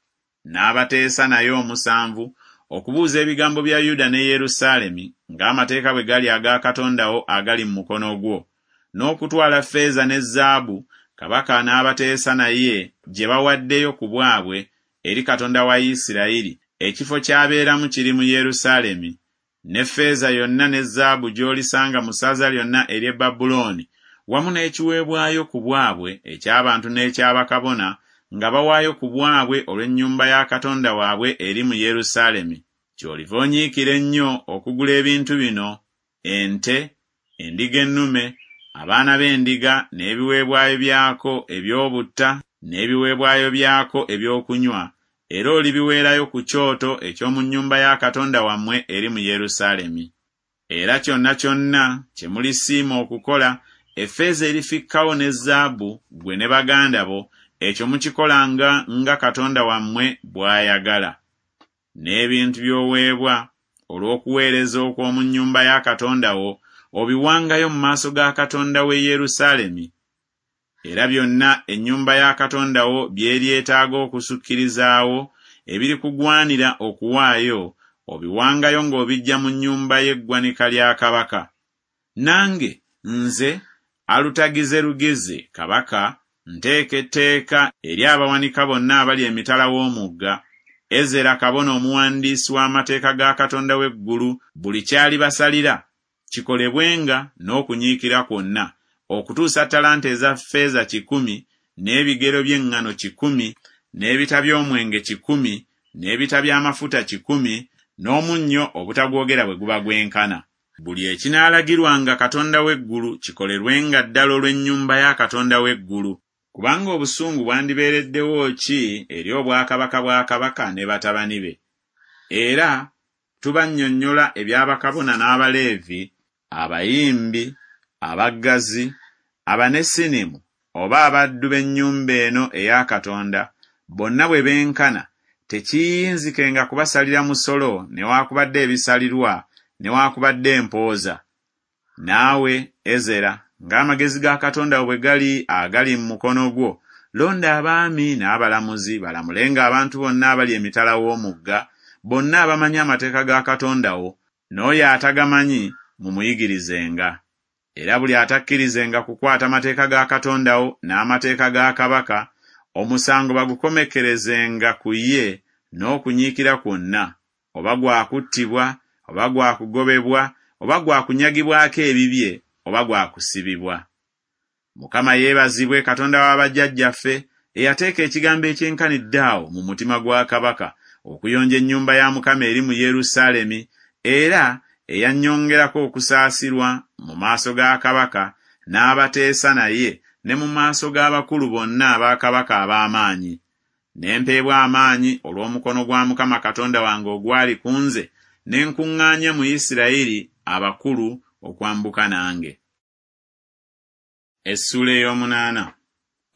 n'abateesa naye omusanvu okubuuza ebigambo bya Yuda ne Yerusaalemi ng'amateeka bwe gali aga Katonda wo agali mu mukono gwo, n'okutwala ffeeza ne zaabu kabaka n'abateesa naye gye bawaddeyo ku bwabwe eri Katonda wa Isirayiri, ekifo ky'abeeramu kiri mu Yerusaalemi, ne ffeeza yonna ne zaabu gy'olisanga mu ssaza lyonna ery'e Babulooni, wamu n'ekiweebwayo ku bwabwe eky'abantu n'ekya bakabona nga bawaayo ku bwabwe olw'ennyumba ya Katonda waabwe eri mu Yerusaalemi. Ky'oliva onyiikira ennyo okugula ebintu bino, ente, endiga ennume, abaana b'endiga n'ebiweebwayo byako eby'obutta n'ebiweebwayo byako eby'okunywa, era olibiweerayo ku kyoto eky'omu nnyumba ya Katonda wammwe eri mu Yerusaalemi. Era kyonna kyonna kye mulisiima okukola, effeeza erifikkawo ne zaabu, ggwe ne baganda bo, ekyo mukikolanga nga Katonda wammwe bw'ayagala. N'ebintu by'oweebwa olw'okuweereza okw'omu nnyumba ya Katonda wo, obiwangayo mu maaso ga Katonda w'e Yerusaalemi. Era byonna ennyumba ya Katonda wo by'eryetaaga okusukkirizaawo, ebirikugwanira okuwaayo, obiwangayo ng'obiggya mu nnyumba y'eggwanika lya kabaka. Nange, nze Alutagizerugizi kabaka, nteeka etteeka eri abawanika bonna abali emitala w'omugga, Ezera kabona omuwandiisi w'amateeka ga Katonda w'eggulu buli ky'alibasalira, kikolebwenga n'okunyiikira kwonna, okutuusa ttalanta eza ffeeza kikumi, n'ebigero by'eŋŋano kikumi, n'ebita by'omwenge kikumi, n'ebita by'amafuta kikumi, n'omunnyo obutagwogera bwe guba gwenkana. Buli ekinaalagirwanga Katonda w'eggulu kikolerwenga ddala olw'ennyumba ya Katonda w'eggulu. Kubanga obusungu bwandibeereddewo ki eri obwakabaka bwa kabaka ne batabani be? Era tubannyonnyola ebya bakabona n'Abaleevi, abayimbi, abaggazi, Abanesinimu oba abaddu b'ennyumba eno eya Katonda, bonna bwe benkana, tekiyinzikenga kubasalira musolo newaakubadde ebisalirwa newaakubadde empooza. Naawe, Ezera, ng'amagezi ga Katonda wo bwe gali agali mu mukono gwo, londa abaami n'abalamuzi balamulenga abantu bonna abali emitala w'omugga, bonna abamanyi amateeka ga Katonda wo, n'oyo atagamanyi mumuyigirizenga. Era buli atakkirizenga kukwata mateeka ga Katonda wo n'amateeka ga kabaka, omusango bagukomekkerezenga ku ye n'okunyiikira kwonna, oba gwa kuttibwa, oba gwa kugobebwa, oba gwa kunyagibwako ebibye, oba gwa kusibibwa. Mukama yeebazibwe Katonda wa bajjajjaffe eyateeka ekigambo ekyenkanidde awo mu mutima gwa kabaka okuyonja ennyumba ya Mukama eri mu Yerusaalemi, era eyannyongerako okusaasirwa mu maaso ga kabaka n'abateesa naye ne mu maaso g'abakulu bonna aba kabaka ab'amaanyi. Ne mpeebwa amaanyi olw'omukono gwa Mukama Katonda wange ogwali ku nze, ne nkuŋŋaanya mu Isirayiri abakulu okwambuka nange. Essuula ey'omunaana.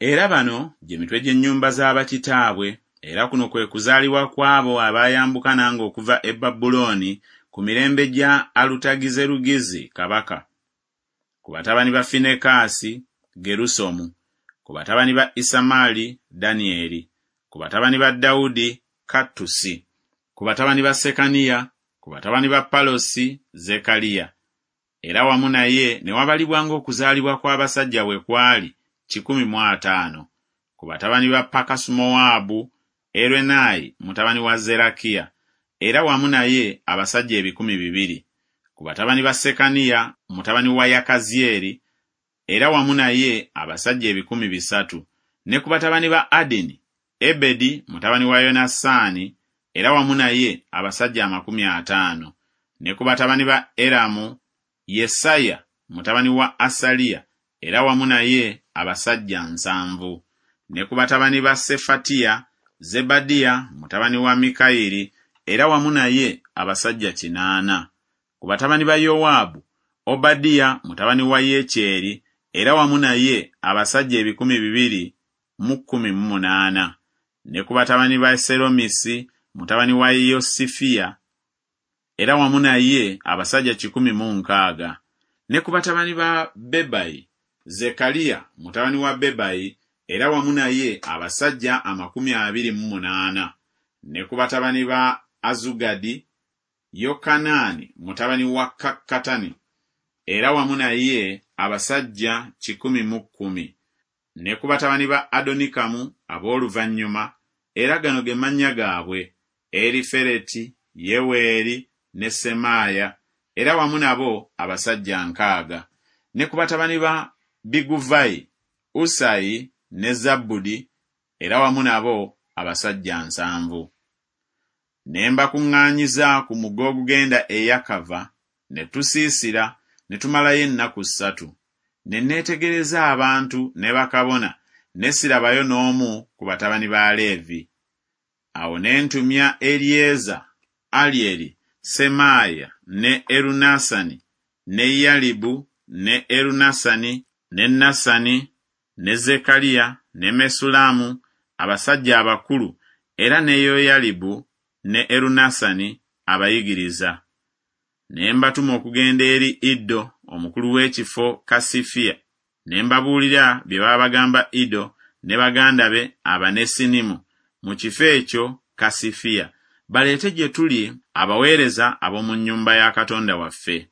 Era bano gye mitwe gy'ennyumba za bakitaabwe, era kuno kwe kuzaalibwa kw'abo abaayambuka nange okuva e Babulooni ku mirembe gya Alutagizerugizi kabaka. Ku batabani ba Finekaasi, Gerusomu, ku batabani ba Isamaali, Danyeri, ku batabani ba Dawudi, Kattusi, ku batabani ba Sekaniya, ku batabani ba Palosi, Zekaliya. Era wamu naye ne wabalibwa ng'okuzaalibwa kw'abasajja bwe kwali, 150. Ku batabani ba Pakasumowaabu, Eruenaayi mutabani wa Zerakiya, era wamu naye abasajja 200. Ku batabani ba Sekaniya mutabani wa Yakazyeri, era wamu naye abasajja 300. Ne ku batabani ba Adini, Ebedi mutabani wa Yonasaani, era wamu naye abasajja 50. Ne ku batabani ba Eramu, Yesaya mutabani wa Asaliya, era wamu naye abasajja 70. Ne ku batabani ba Sefatiya, Zebadiya mutabani wa Mikayiri, era wamu naye abasajja 80. Ku batabani ba Yowaabu, Obadiya mutabani wa Yekyeri, era wamu naye abasajja 218. Ne ku batabani ba Seromisi mutabani wa Yosifiya, era wamu naye abasajja 160. Ne ku batabani ba Bebayi, Zekaliya mutabani wa Bebayi, era wamu naye abasajja 28. Ne ku batabani ba Azugadi, Yokanaani mutabani wa Kakkatani, era wamu naye abasajja 110. Ne ku batabani ba Adonikamu ab'oluvannyuma, era gano ge mannya gaabwe, Erifereti, Yeweeri ne Semaaya, era wamu nabo abasajja 60. Ne ku batabani ba Biguvayi, Usayi ne Zabbudi, era wamu nabo abasajja 70. Ne mbakuŋŋaanyiza ku mugga ogugenda e Yakava, ne tusiisira, ne tumalayo ennaku ssatu. Ne neetegereza abantu ne bakabona, ne sirabayo n'omu ku batabani ba Leevi. Awo ne ntumya Eryeza, Alyeri, Semaaya ne Erunasani, ne Yalibu ne Erunasani ne Nasani ne Zekaliya ne Mesulamu, abasajja abakulu, era ne Yoyalibu ne Erunasani abayigiriza. Ne mbatuma okugenda eri Iddo omukulu w'ekifo Kasifiya, ne mbabuulira bye baabagamba Iddo ne baganda be Abanesinimu mu kifo ekyo Kasifiya, baleete gye tuli abaweereza ab'omu nnyumba ya Katonda waffe.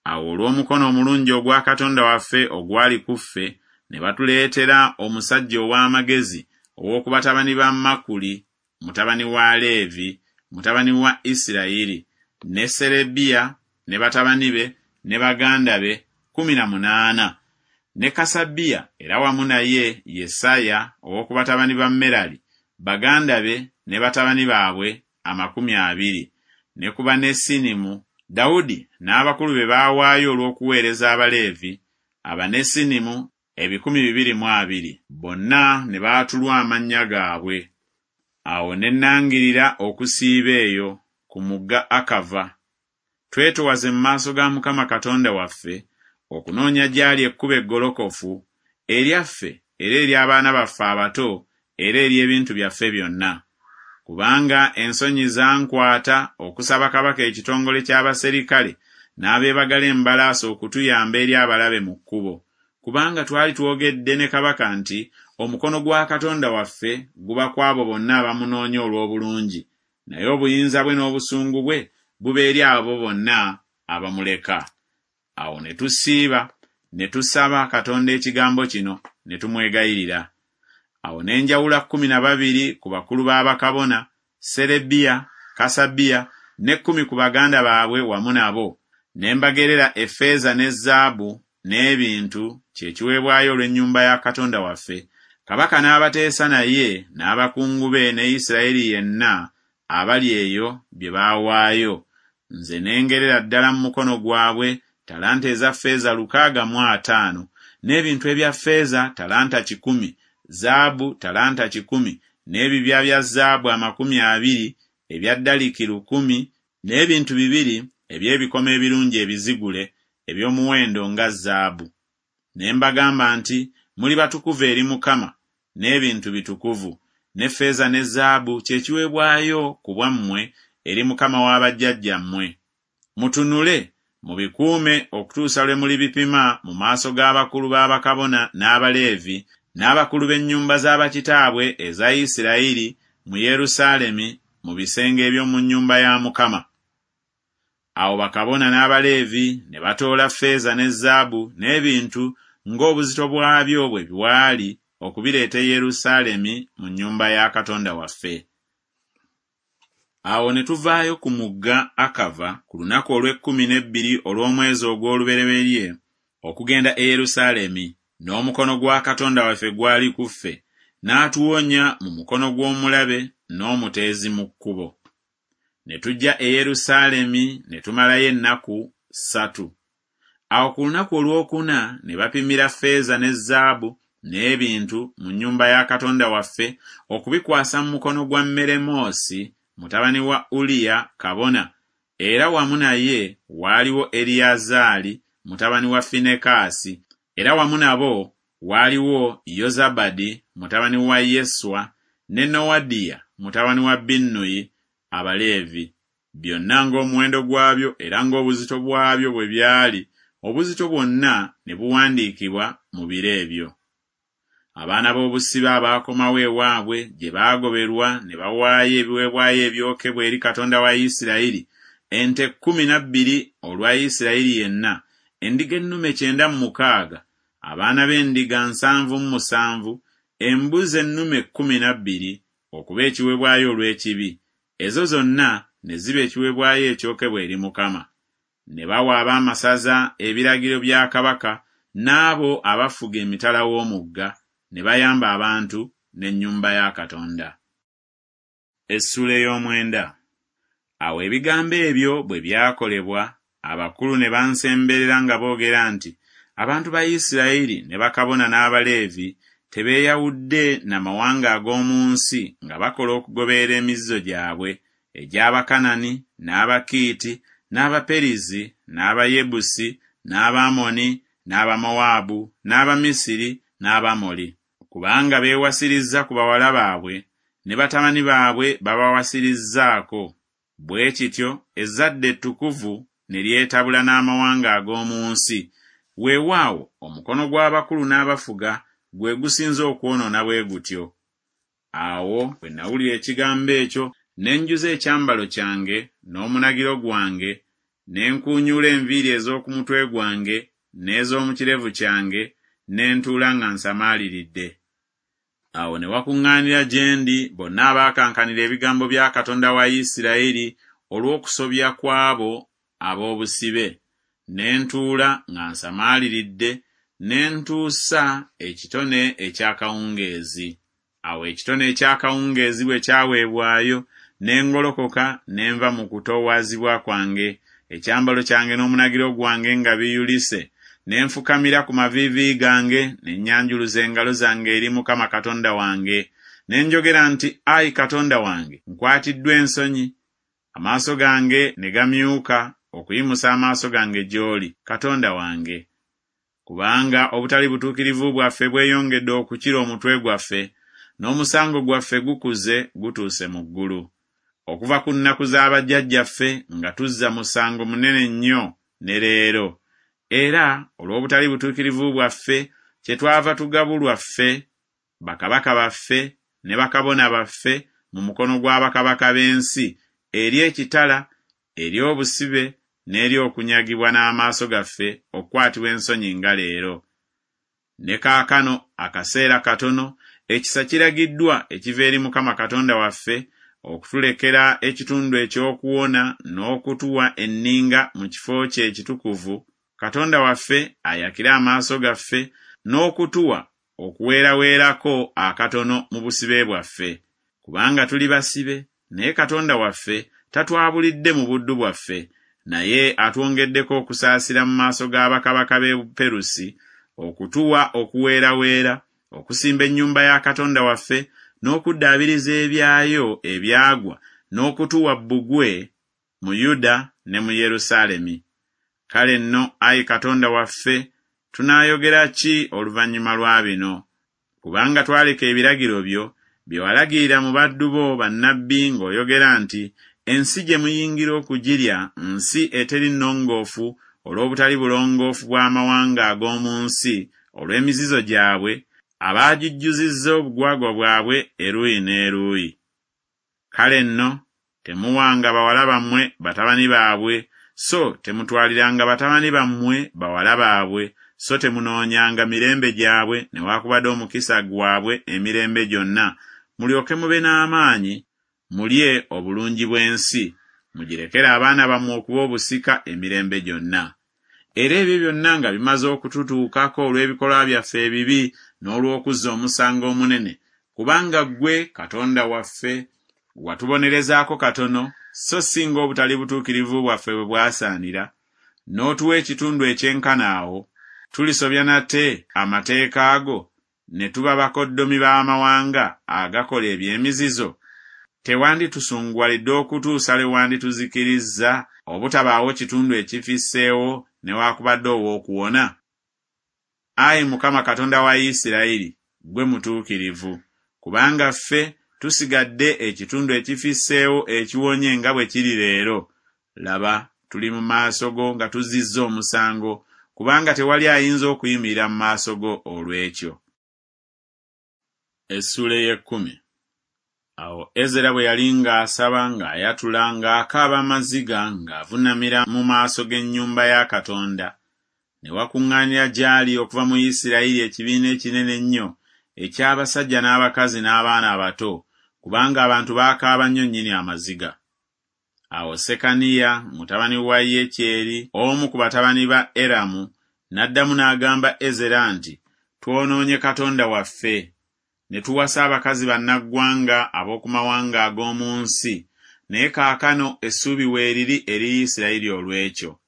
Awo olw'omukono omulungi ogwa Katonda waffe ogwali ku ffe, ne batuleetera omusajja ow'amagezi ow'oku batabani ba Makuli, mutabani wa Leevi, mutabani wa Isirayiri, ne Serebiya ne batabani be ne baganda be 18, ne Kasabiya era wamu naye Yesaya ow'oku batabani ba Merali, baganda be ne batabani baabwe 20, ne ku Banesinimu, Dawudi n'abakulu be baawaayo olw'okuweereza Abaleevi, Abanesinimu 220, bonna ne baatulwa amannya gaabwe. Awo ne nnangirira okusiiba eyo ku mugga Akava. Twetowaze mu maaso ga Mukama Katonda waffe, okunoonya gy'ali ekkubo eggolokofu, eryaffe era ery'abaana baffe abato era ery'ebintu byaffe byonna. Kubanga ensonyi zankwata okusaba kabaka ekitongole ky'abaserikale n'abeebagala embalaasi okutuyamba eri abalabe mu kkubo. Kubanga twali twogedde ne kabaka nti omukono gwa Katonda waffe guba ku abo bonna abamunoonya olw'obulungi, naye obuyinza bwe n'obusungu bwe buba eri abo bonna abamuleka. Awo ne tusiiba, ne tusaba Katonda ekigambo kino, ne tumwegayirira. Awo ne njawula 12 ku bakulu b'abakabona, Serebiya, Kasabiya, ne 10 ku baganda baabwe wamu nabo, ne mbagerera effeeza ne zaabu n'ebintu, kye kiweebwayo olw'ennyumba ya Katonda waffe. Kabaka n'abateesa naye n'abakungu be ne Isirayiri yenna abali eyo bye baawaayo. Nze ne ngerera ddala mu mukono gwabwe talanta eza ffeeza 650, n'ebintu ebya ffeeza talanta 100, zaabu talanta 100, n'ebibya bya zaabu 20 ebya daliki 1,000, n'ebintu 2 eby'ebikomo ebirungi ebizigule eby'omuwendo nga zaabu. Ne mbagamba nti, Muli batukuvu eri Mukama, n'ebintu bitukuvu, ne ffeeza ne zaabu kye kiweebwayo ku bwammwe eri Mukama wa bajjajjammwe. Mutunule, mubikuume okutuusa lwe mulibipima mu maaso g'abakulu ba bakabona n'Abaleevi n'abakulu b'ennyumba za bakitaabwe eza Isirayiri mu Yerusaalemi mu bisenge eby'omu nnyumba ya Mukama. Awo bakabona n'Abaleevi ne batoola ffeeza ne zaabu n'ebintu ng'obuzito bwabyo bwe bwali okubireeta e Yerusaalemi mu nnyumba ya Katonda waffe. Awo ne tuvaayo ku mugga Akava ku lunaku olw'ekkumi n'ebbiri olw'omwezi ogw'olubereberye okugenda e Yerusaalemi, n'omukono gwa Katonda waffe gwali ku ffe, n'atuwonya mu mukono gw'omulabe n'omuteezi mu kkubo. Ne tujja e Yerusaalemi ne tumalayo ennaku ssatu. Awo ku lunaku olwokuna ne bapimira ffeeza ne zaabu n'ebintu mu nnyumba ya Katonda waffe okubikwasa mu mukono gwa Meremoosi mutabani wa Uliya kabona, era wamu naye waaliwo Eriyazaali mutabani wa Finekaasi, era wamu nabo waaliwo Yozabadi mutabani wa Yeswa ne Nowadiya mutabani wa Binnuyi Abaleevi, byonna ng'omuwendo gwabyo era ng'obuzito bwabyo bwe byali, obuzito bwonna ne buwandiikibwa mu biro ebyo. Abaana b'obusibe abaakomawo ewaabwe gye baagoberwa ne bawaayo ebiweebwayo ebyokebwa eri Katonda wa Isirayiri, ente 12 olwa Isirayiri yenna, endiga ennume 96, abaana b'endiga 77, embuzi ennume 12 okuba ekiweebwayo olw'ekibi, ezo zonna ne ziba ekiweebwayo ekyokebwa eri Mukama. Ne bawa ab'amasaza ebiragiro bya kabaka n'abo abafuga emitala w'omugga, ne bayamba abantu n'ennyumba ya Katonda. Essuula ey'omwenda. Awo ebigambo ebyo bwe byakolebwa, abakulu ne bansemberera nga boogera nti, Abantu ba Isirayiri ne bakabona n'Abaleevi tebeeyawudde na mawanga ag'omu nsi nga bakola okugoberera emizizo gyabwe egy'Abakanani, n'Abakiiti, n'Abaperizi, n'Abayebusi, n'Abamoni, n'Abamowaabu, n'Abamisiri, n'Abamoli. Kubanga beewasirizza ku bawala baabwe, ne batabani baabwe babawasirizzaako, bwe kityo ezzadde ettukuvu ne lyetabula n'amawanga ag'omu nsi, weewaawo omukono gw'abakulu n'abafuga gwe gusinze okwonoona bwe gutyo. Awo bwe nawulira ekigambo ekyo, ne njuza ekyambalo kyange n'omunagiro gwange, ne nkuunyuula enviiri ez'oku mutwe gwange n'ez'omu kirevu kyange, ne ntuula nga nsamaaliridde. Awo ne wakuŋŋaanira gye ndi bonna abaakankanira ebigambo bya Katonda wa Isirayiri olw'okusobya kw'abo ab'obusibe, ne ntuula nga nsamaaliridde, ne ntuusa ekitone eky'akawungeezi. Awo ekitone eky'akawungeezi bwe kyaweebwayo, ne ngolokoka ne nva mu kutoowazibwa kwange, ekyambalo kyange n'omunagiro gwange nga biyulise, ne nfukamira ku maviivi gange, ne nnyanjuluza engalo zange eri Mukama Katonda wange. Ne njogera nti, Ayi Katonda wange, nkwatiddwa ensonyi, amaaso gange ne gamyuka okuyimusa amaaso gange gy'oli, Katonda wange. Kubanga obutali butuukirivu bwaffe bweyongedde okukira omutwe gwaffe, n'omusango gwaffe gukuze gutuuse mu ggulu. Okuva ku nnaku za bajjajjaffe nga tuzza musango munene nnyo ne leero, era olw'obutali butuukirivu bwaffe kyetwava tugabulwa ffe, bakabaka baffe ne bakabona baffe mu mukono gwa bakabaka b'ensi eri ekitala, eri obusibe n'eri okunyagibwa n'amaaso gaffe okukwatibwa ensonyi nga leero. Ne kaakano akaseera katono ekisa kiragiddwa ekiva eri Mukama Katonda waffe okutulekera ekitundu eky'okuwona n'okutuwa enninga mu kifo kye ekitukuvu, Katonda waffe ayakire amaaso gaffe n'okutuwa okuweeraweerako akatono mu busibe bwaffe. Kubanga tuli basibe, naye Katonda waffe tatwabulidde mu buddu bwaffe, naye atwongeddeko okusaasira mu maaso ga bakabaka b'e Buperusi, okutuwa okuweeraweera, okusimba ennyumba ya Katonda waffe, n'okuddaabiriza ebyayo ebyagwa, n'okutuwa bbugwe mu Yuda ne mu Yerusaalemi. Kale nno, ayi Katonda waffe, tunaayogera ki oluvannyuma lwa bino? Kubanga twaleka ebiragiro byo, bye walagirira mu baddu bo bannabbi ng'oyogera nti, Ensi gye muyingira okugirya nsi eteri nnongoofu olw'obutali bulongoofu bw'amawanga ag'omu nsi olw'emizizo gyabwe, abaagijjuzizza obugwagwa bwabwe eruuyi n'eruuyi. Kale nno temuwanga bawala bammwe batabani baabwe, so temutwaliranga batabani bammwe bawala baabwe, so temunoonyanga mirembe gyabwe newaakubadde omukisa gwabwe emirembe gyonna, mulyoke mube n'amaanyi, mulye obulungi bw'ensi, mugirekere abaana bammwe okuba obusika emirembe gyonna. Era ebyo byonna nga bimaze okututuukako olw'ebikolwa byaffe ebibi n'olw'okuzza omusango omunene, kubanga ggwe Katonda waffe watubonerezaako katono, so si ng'obutali butuukirivu bwaffe bwe bwasaanira, n'otuwa ekitundu ekyenkana awo, tulisobya nate amateeka go, ne tuba bakoddomi b'amawanga agakola eby'emizizo? Tewanditusunguwalidde okutuusa lwe wandituzikirizza, obutabaawo kitundu ekifisseewo newaakubadde ow'okuwona? Ayi Mukama Katonda wa Isirayiri, ggwe mutuukirivu, kubanga ffe tusigadde ekitundu ekifisseewo ekiwonye nga bwe kiri leero. Laba, tuli mu maaso go nga tuzzizza omusango, kubanga tewali ayinza okuyimirira mu maaso go olw'ekyo. Essuula ey'ekkumi. Awo Ezera bwe yali ng'asaba ng'ayatula ng'akaaba amaziga ng'avunnamira mu maaso g'ennyumba ya Katonda, ne wakuŋŋaanira gy'ali okuva mu Isirayiri ekibiina ekinene ennyo eky'abasajja n'abakazi n'abaana abato, kubanga abantu baakaaba nnyo nnyini amaziga. Awo Sekaniya mutabani wa Yekyeri, omu ku batabani ba Eramu, n'addamu n'agamba Ezera nti, Twonoonye Katonda waffe, ne tuwasa abakazi bannaggwanga ab'oku mawanga ag'omu nsi, naye kaakano essuubi weeriri eri Isirayiri olw'ekyo.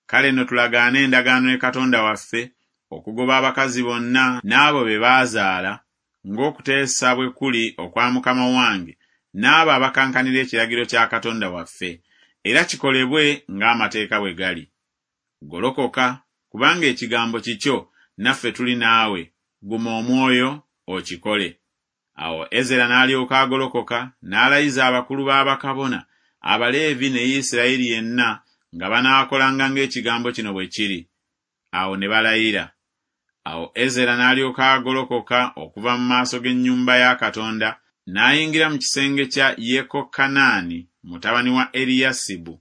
Kale nno tulagaane endagaano ne Katonda waffe okugoba abakazi bonna n'abo be baazaala, ng'okuteesa bwe kuli okwa mukama wange n'abo abakankanira ekiragiro kya Katonda waffe, era kikolebwe ng'amateeka bwe gali. Golokoka, kubanga ekigambo kikyo, naffe tuli naawe, guma omwoyo, okikole. Awo Ezera n'alyoka agolokoka, n'alayiza abakulu ba bakabona, Abaleevi ne Isirayiri yenna nga banaakolanga ng'ekigambo kino bwe kiri. Awo ne balayira. Awo Ezera n'alyoka agolokoka okuva mu maaso g'ennyumba ya Katonda, n'ayingira mu kisenge kya Yekokanaani mutabani wa Eriyasibu.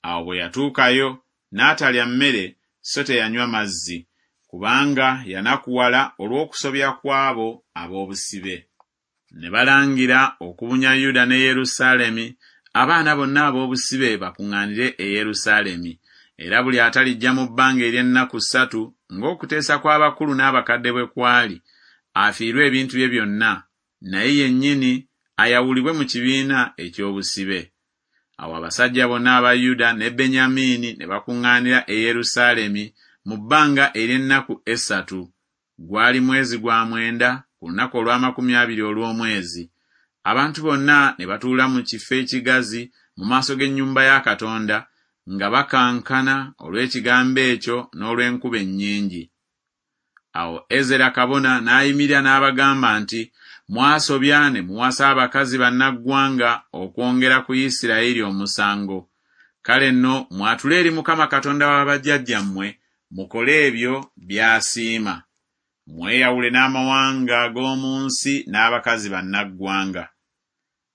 Awo bwe yatuukayo, n'atalya mmere so teyanywa mazzi, kubanga yanakuwala olw'okusobya kw'abo ab'obusibe. Ne balangira okubunya Yuda ne Yerusaalemi, abaana bonna ab'obusibe bakuŋŋaanire e Yerusaalemi, era buli atalijja mu bbanga ery'ennaku ssatu ng'okuteesa kw'abakulu n'abakadde bwe kwali, afiirwe ebintu bye byonna, naye yennyini ayawulibwe mu kibiina eky'obusibe. Awo abasajja bonna aba Yuda ne Benyamiini ne bakuŋŋaanira e Yerusaalemi mu bbanga ery'ennaku essatu. Gwali mwezi gwa mwenda, ku lunaku olw'amakumi abiri olw'omwezi. Abantu bonna ne batuula mu kifo ekigazi mu maaso g'ennyumba ya Katonda nga bakankana olw'ekigambo ekyo n'olw'enkuba ennyingi. Awo Ezera kabona n'ayimirira n'abagamba nti, Mwasobya ne muwasa abakazi bannaggwanga okwongera ku Isirayiri omusango. Kale nno mwatule eri Mukama Katonda wa bajjajjammwe mukole ebyo by'asiima. Mweyawule n'amawanga ag'omu nsi n'abakazi bannaggwanga.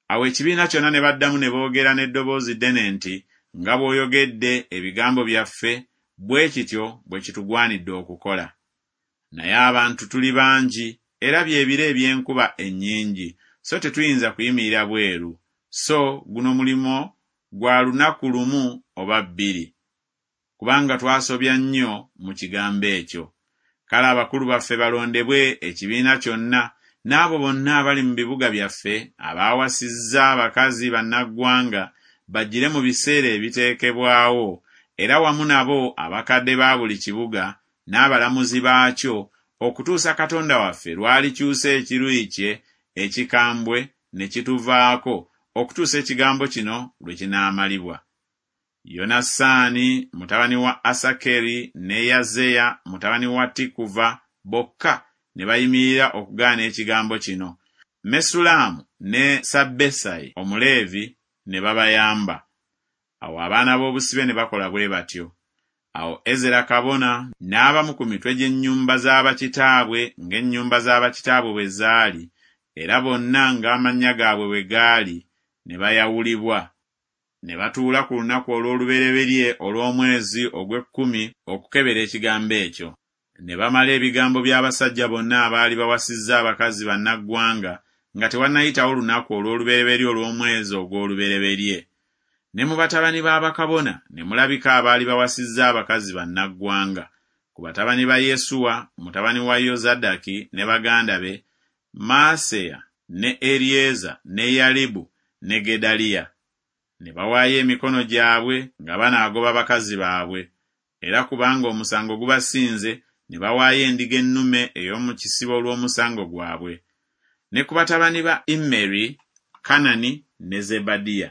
Awo ekibiina kyonna ne baddamu ne boogera n'eddoboozi ddene nti, Nga bw'oyogedde ebigambo byaffe, bwe kityo bwe kitugwanidde okukola. Naye abantu tuli bangi, era bye biro eby'enkuba ennyingi, so tetuyinza kuyimirira bweru, so guno mulimo gwa lunaku lumu oba bbiri, kubanga twasobya nnyo mu kigambo ekyo. Kale abakulu baffe balondebwe ekibiina kyonna, n'abo bonna abali mu bibuga byaffe abaawasizza abakazi bannaggwanga, bajjire mu biseera ebiteekebwawo, era wamu nabo abakadde ba buli kibuga n'abalamuzi baakyo, okutuusa Katonda waffe lw'alikyusa ekiruyi kye ekikambwe ne kituvaako, okutuusa ekigambo kino lwe kinaamalibwa. Yonasaani mutabani wa Asakeri ne Yazeya mutabani wa Tikuva bokka ne bayimirira okugaana ekigambo kino. Mesulaamu ne Sabbesayi Omuleevi ne babayamba. Awo abaana b'obusibe ne bakola bwe batyo. Awo Ezera kabona n'abamu ku mitwe gy'ennyumba za bakitaabwe ng'ennyumba za bakitaabwe bwe zaali, era bonna ng'amannya gaabwe bwe gaali, ne bayawulibwa. Ne batuula ku lunaku olw'olubereberye olw'omwezi ogw'ekkumi okukebera ekigambo ekyo. Ne bamala ebigambo by'abasajja bonna abaali bawasizza abakazi bannaggwanga nga tewannayitawo lunaku olw'olubereberye olw'omwezi ogw'olubereberye. Ne mu batabani ba bakabona ne mulabika abaali bawasizza abakazi bannaggwanga. Ku batabani ba Yesuwa mutabani wa Yozadaki ne baganda be, Maaseya ne Eryeza ne Yalibu ne Gedaliya. Ne bawaayo emikono gyabwe nga banaagoba bakazi baabwe. Era kubanga omusango gubasinze, ne bawaayo endiga ennume ey'omu kisibo olw'omusango gwabwe. Ne ku batabani ba Immeri, Kanani ne Zebadiya.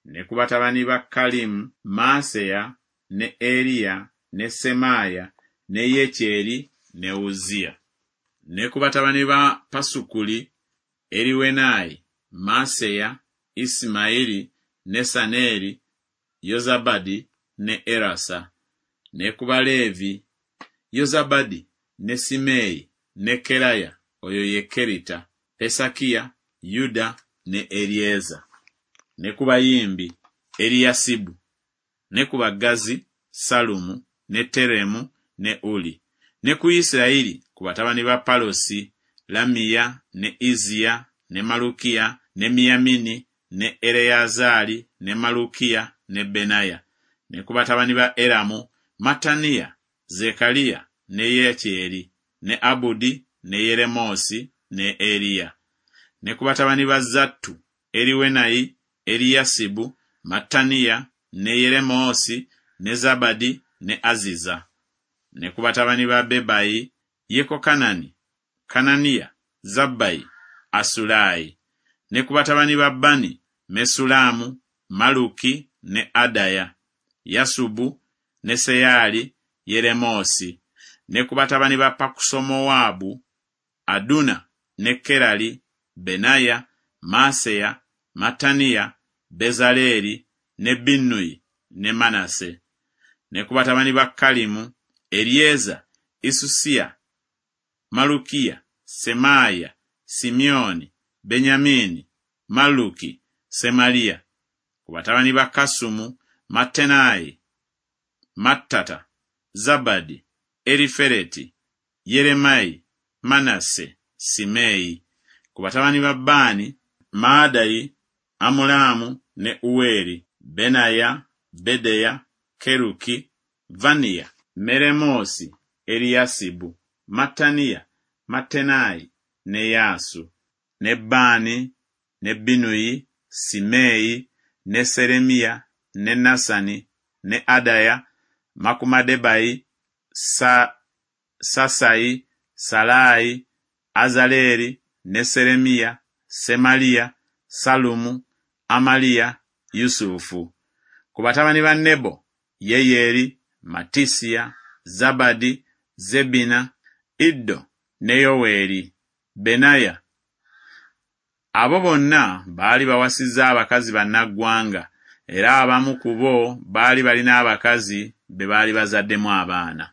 Ne ku batabani ba Kalimu, Maaseya ne Eriya ne Semaaya ne Yekyeri ne Uzziya. Ne ku batabani ba Pasukuli, Eriwenayi, Maaseya, Isimayiri, Nesaneri, Yozabadi ne Erasa. Ne ku Baleevi, Yozabadi ne Simeeyi ne Keraya, oyo ye Kerita, Pesakiya, Yuda ne Eryeza. Ne ku bayimbi, Eriyasibu. Ne ku baggazi, Sallumu ne Teremu ne Uli. Ne ku Isirayiri, ku batabani ba Palosi, Lamiya ne Izziya ne Malukiya ne Miyamini ne Ereyazaali ne Malukiya ne Benaya. Ne ku batabani ba Eramu, Mattaniya, Zekkaliya ne Yekyeri ne Abudi ne Yeremoosi ne Eriya. Ne ku batabani ba Zattu, Eriwenayi, Eriyasibu, Mattaniya ne Yeremoosi ne Zabadi ne Aziza. Ne ku batabani ba Bebayi, Yekokanani, Kananiya, Zabbayi, Asulaayi. Ne ku batabani ba Bani, Mesulaamu, Maluki ne Adaya, Yasubu ne Seyaali, Yeremoosi. Ne ku batabani ba Pakusomowaabu, Aduna ne Kerali, Benaya, Maaseya, Mattaniya, Bezaleeri ne Binnuyi ne Manase. Ne ku batabani ba Kalimu, Eryeza, Isusiya, Malukiya, Semaaya, Simyoni, Benyamini, Malluki, Semaliya. Ku batabani ba Kasumu, Mattenayi, Mattata, Zabadi, Erifereti, Yeremayi, Manase, Simeeyi. Ku batabani ba Baani, Maadayi, Amulaamu ne Uweri, Benaya, Bedeya, Keruki, Vaniya, Meremoosi, Eriyasibu, Mattaniya, Mattenayi ne Yaasu, ne Baani, ne Binuyi, Simeeyi, ne Seremiya, ne Nasani, ne Adaya, Makumadebayi, Sa Sasayi, Salaayi, Azaleeri, ne Seremiya, Semaliya, Salumu, Amaliya, Yusufu. Ku batabani ba Nebo, Yeyeri, Matisiya, Zabadi, Zebina, Iddo ne Yoweeri, Benaya. Abo bonna baali bawasizza abakazi bannaggwanga, era abamu ku bo baali balina abakazi be baali bazaddemu abaana.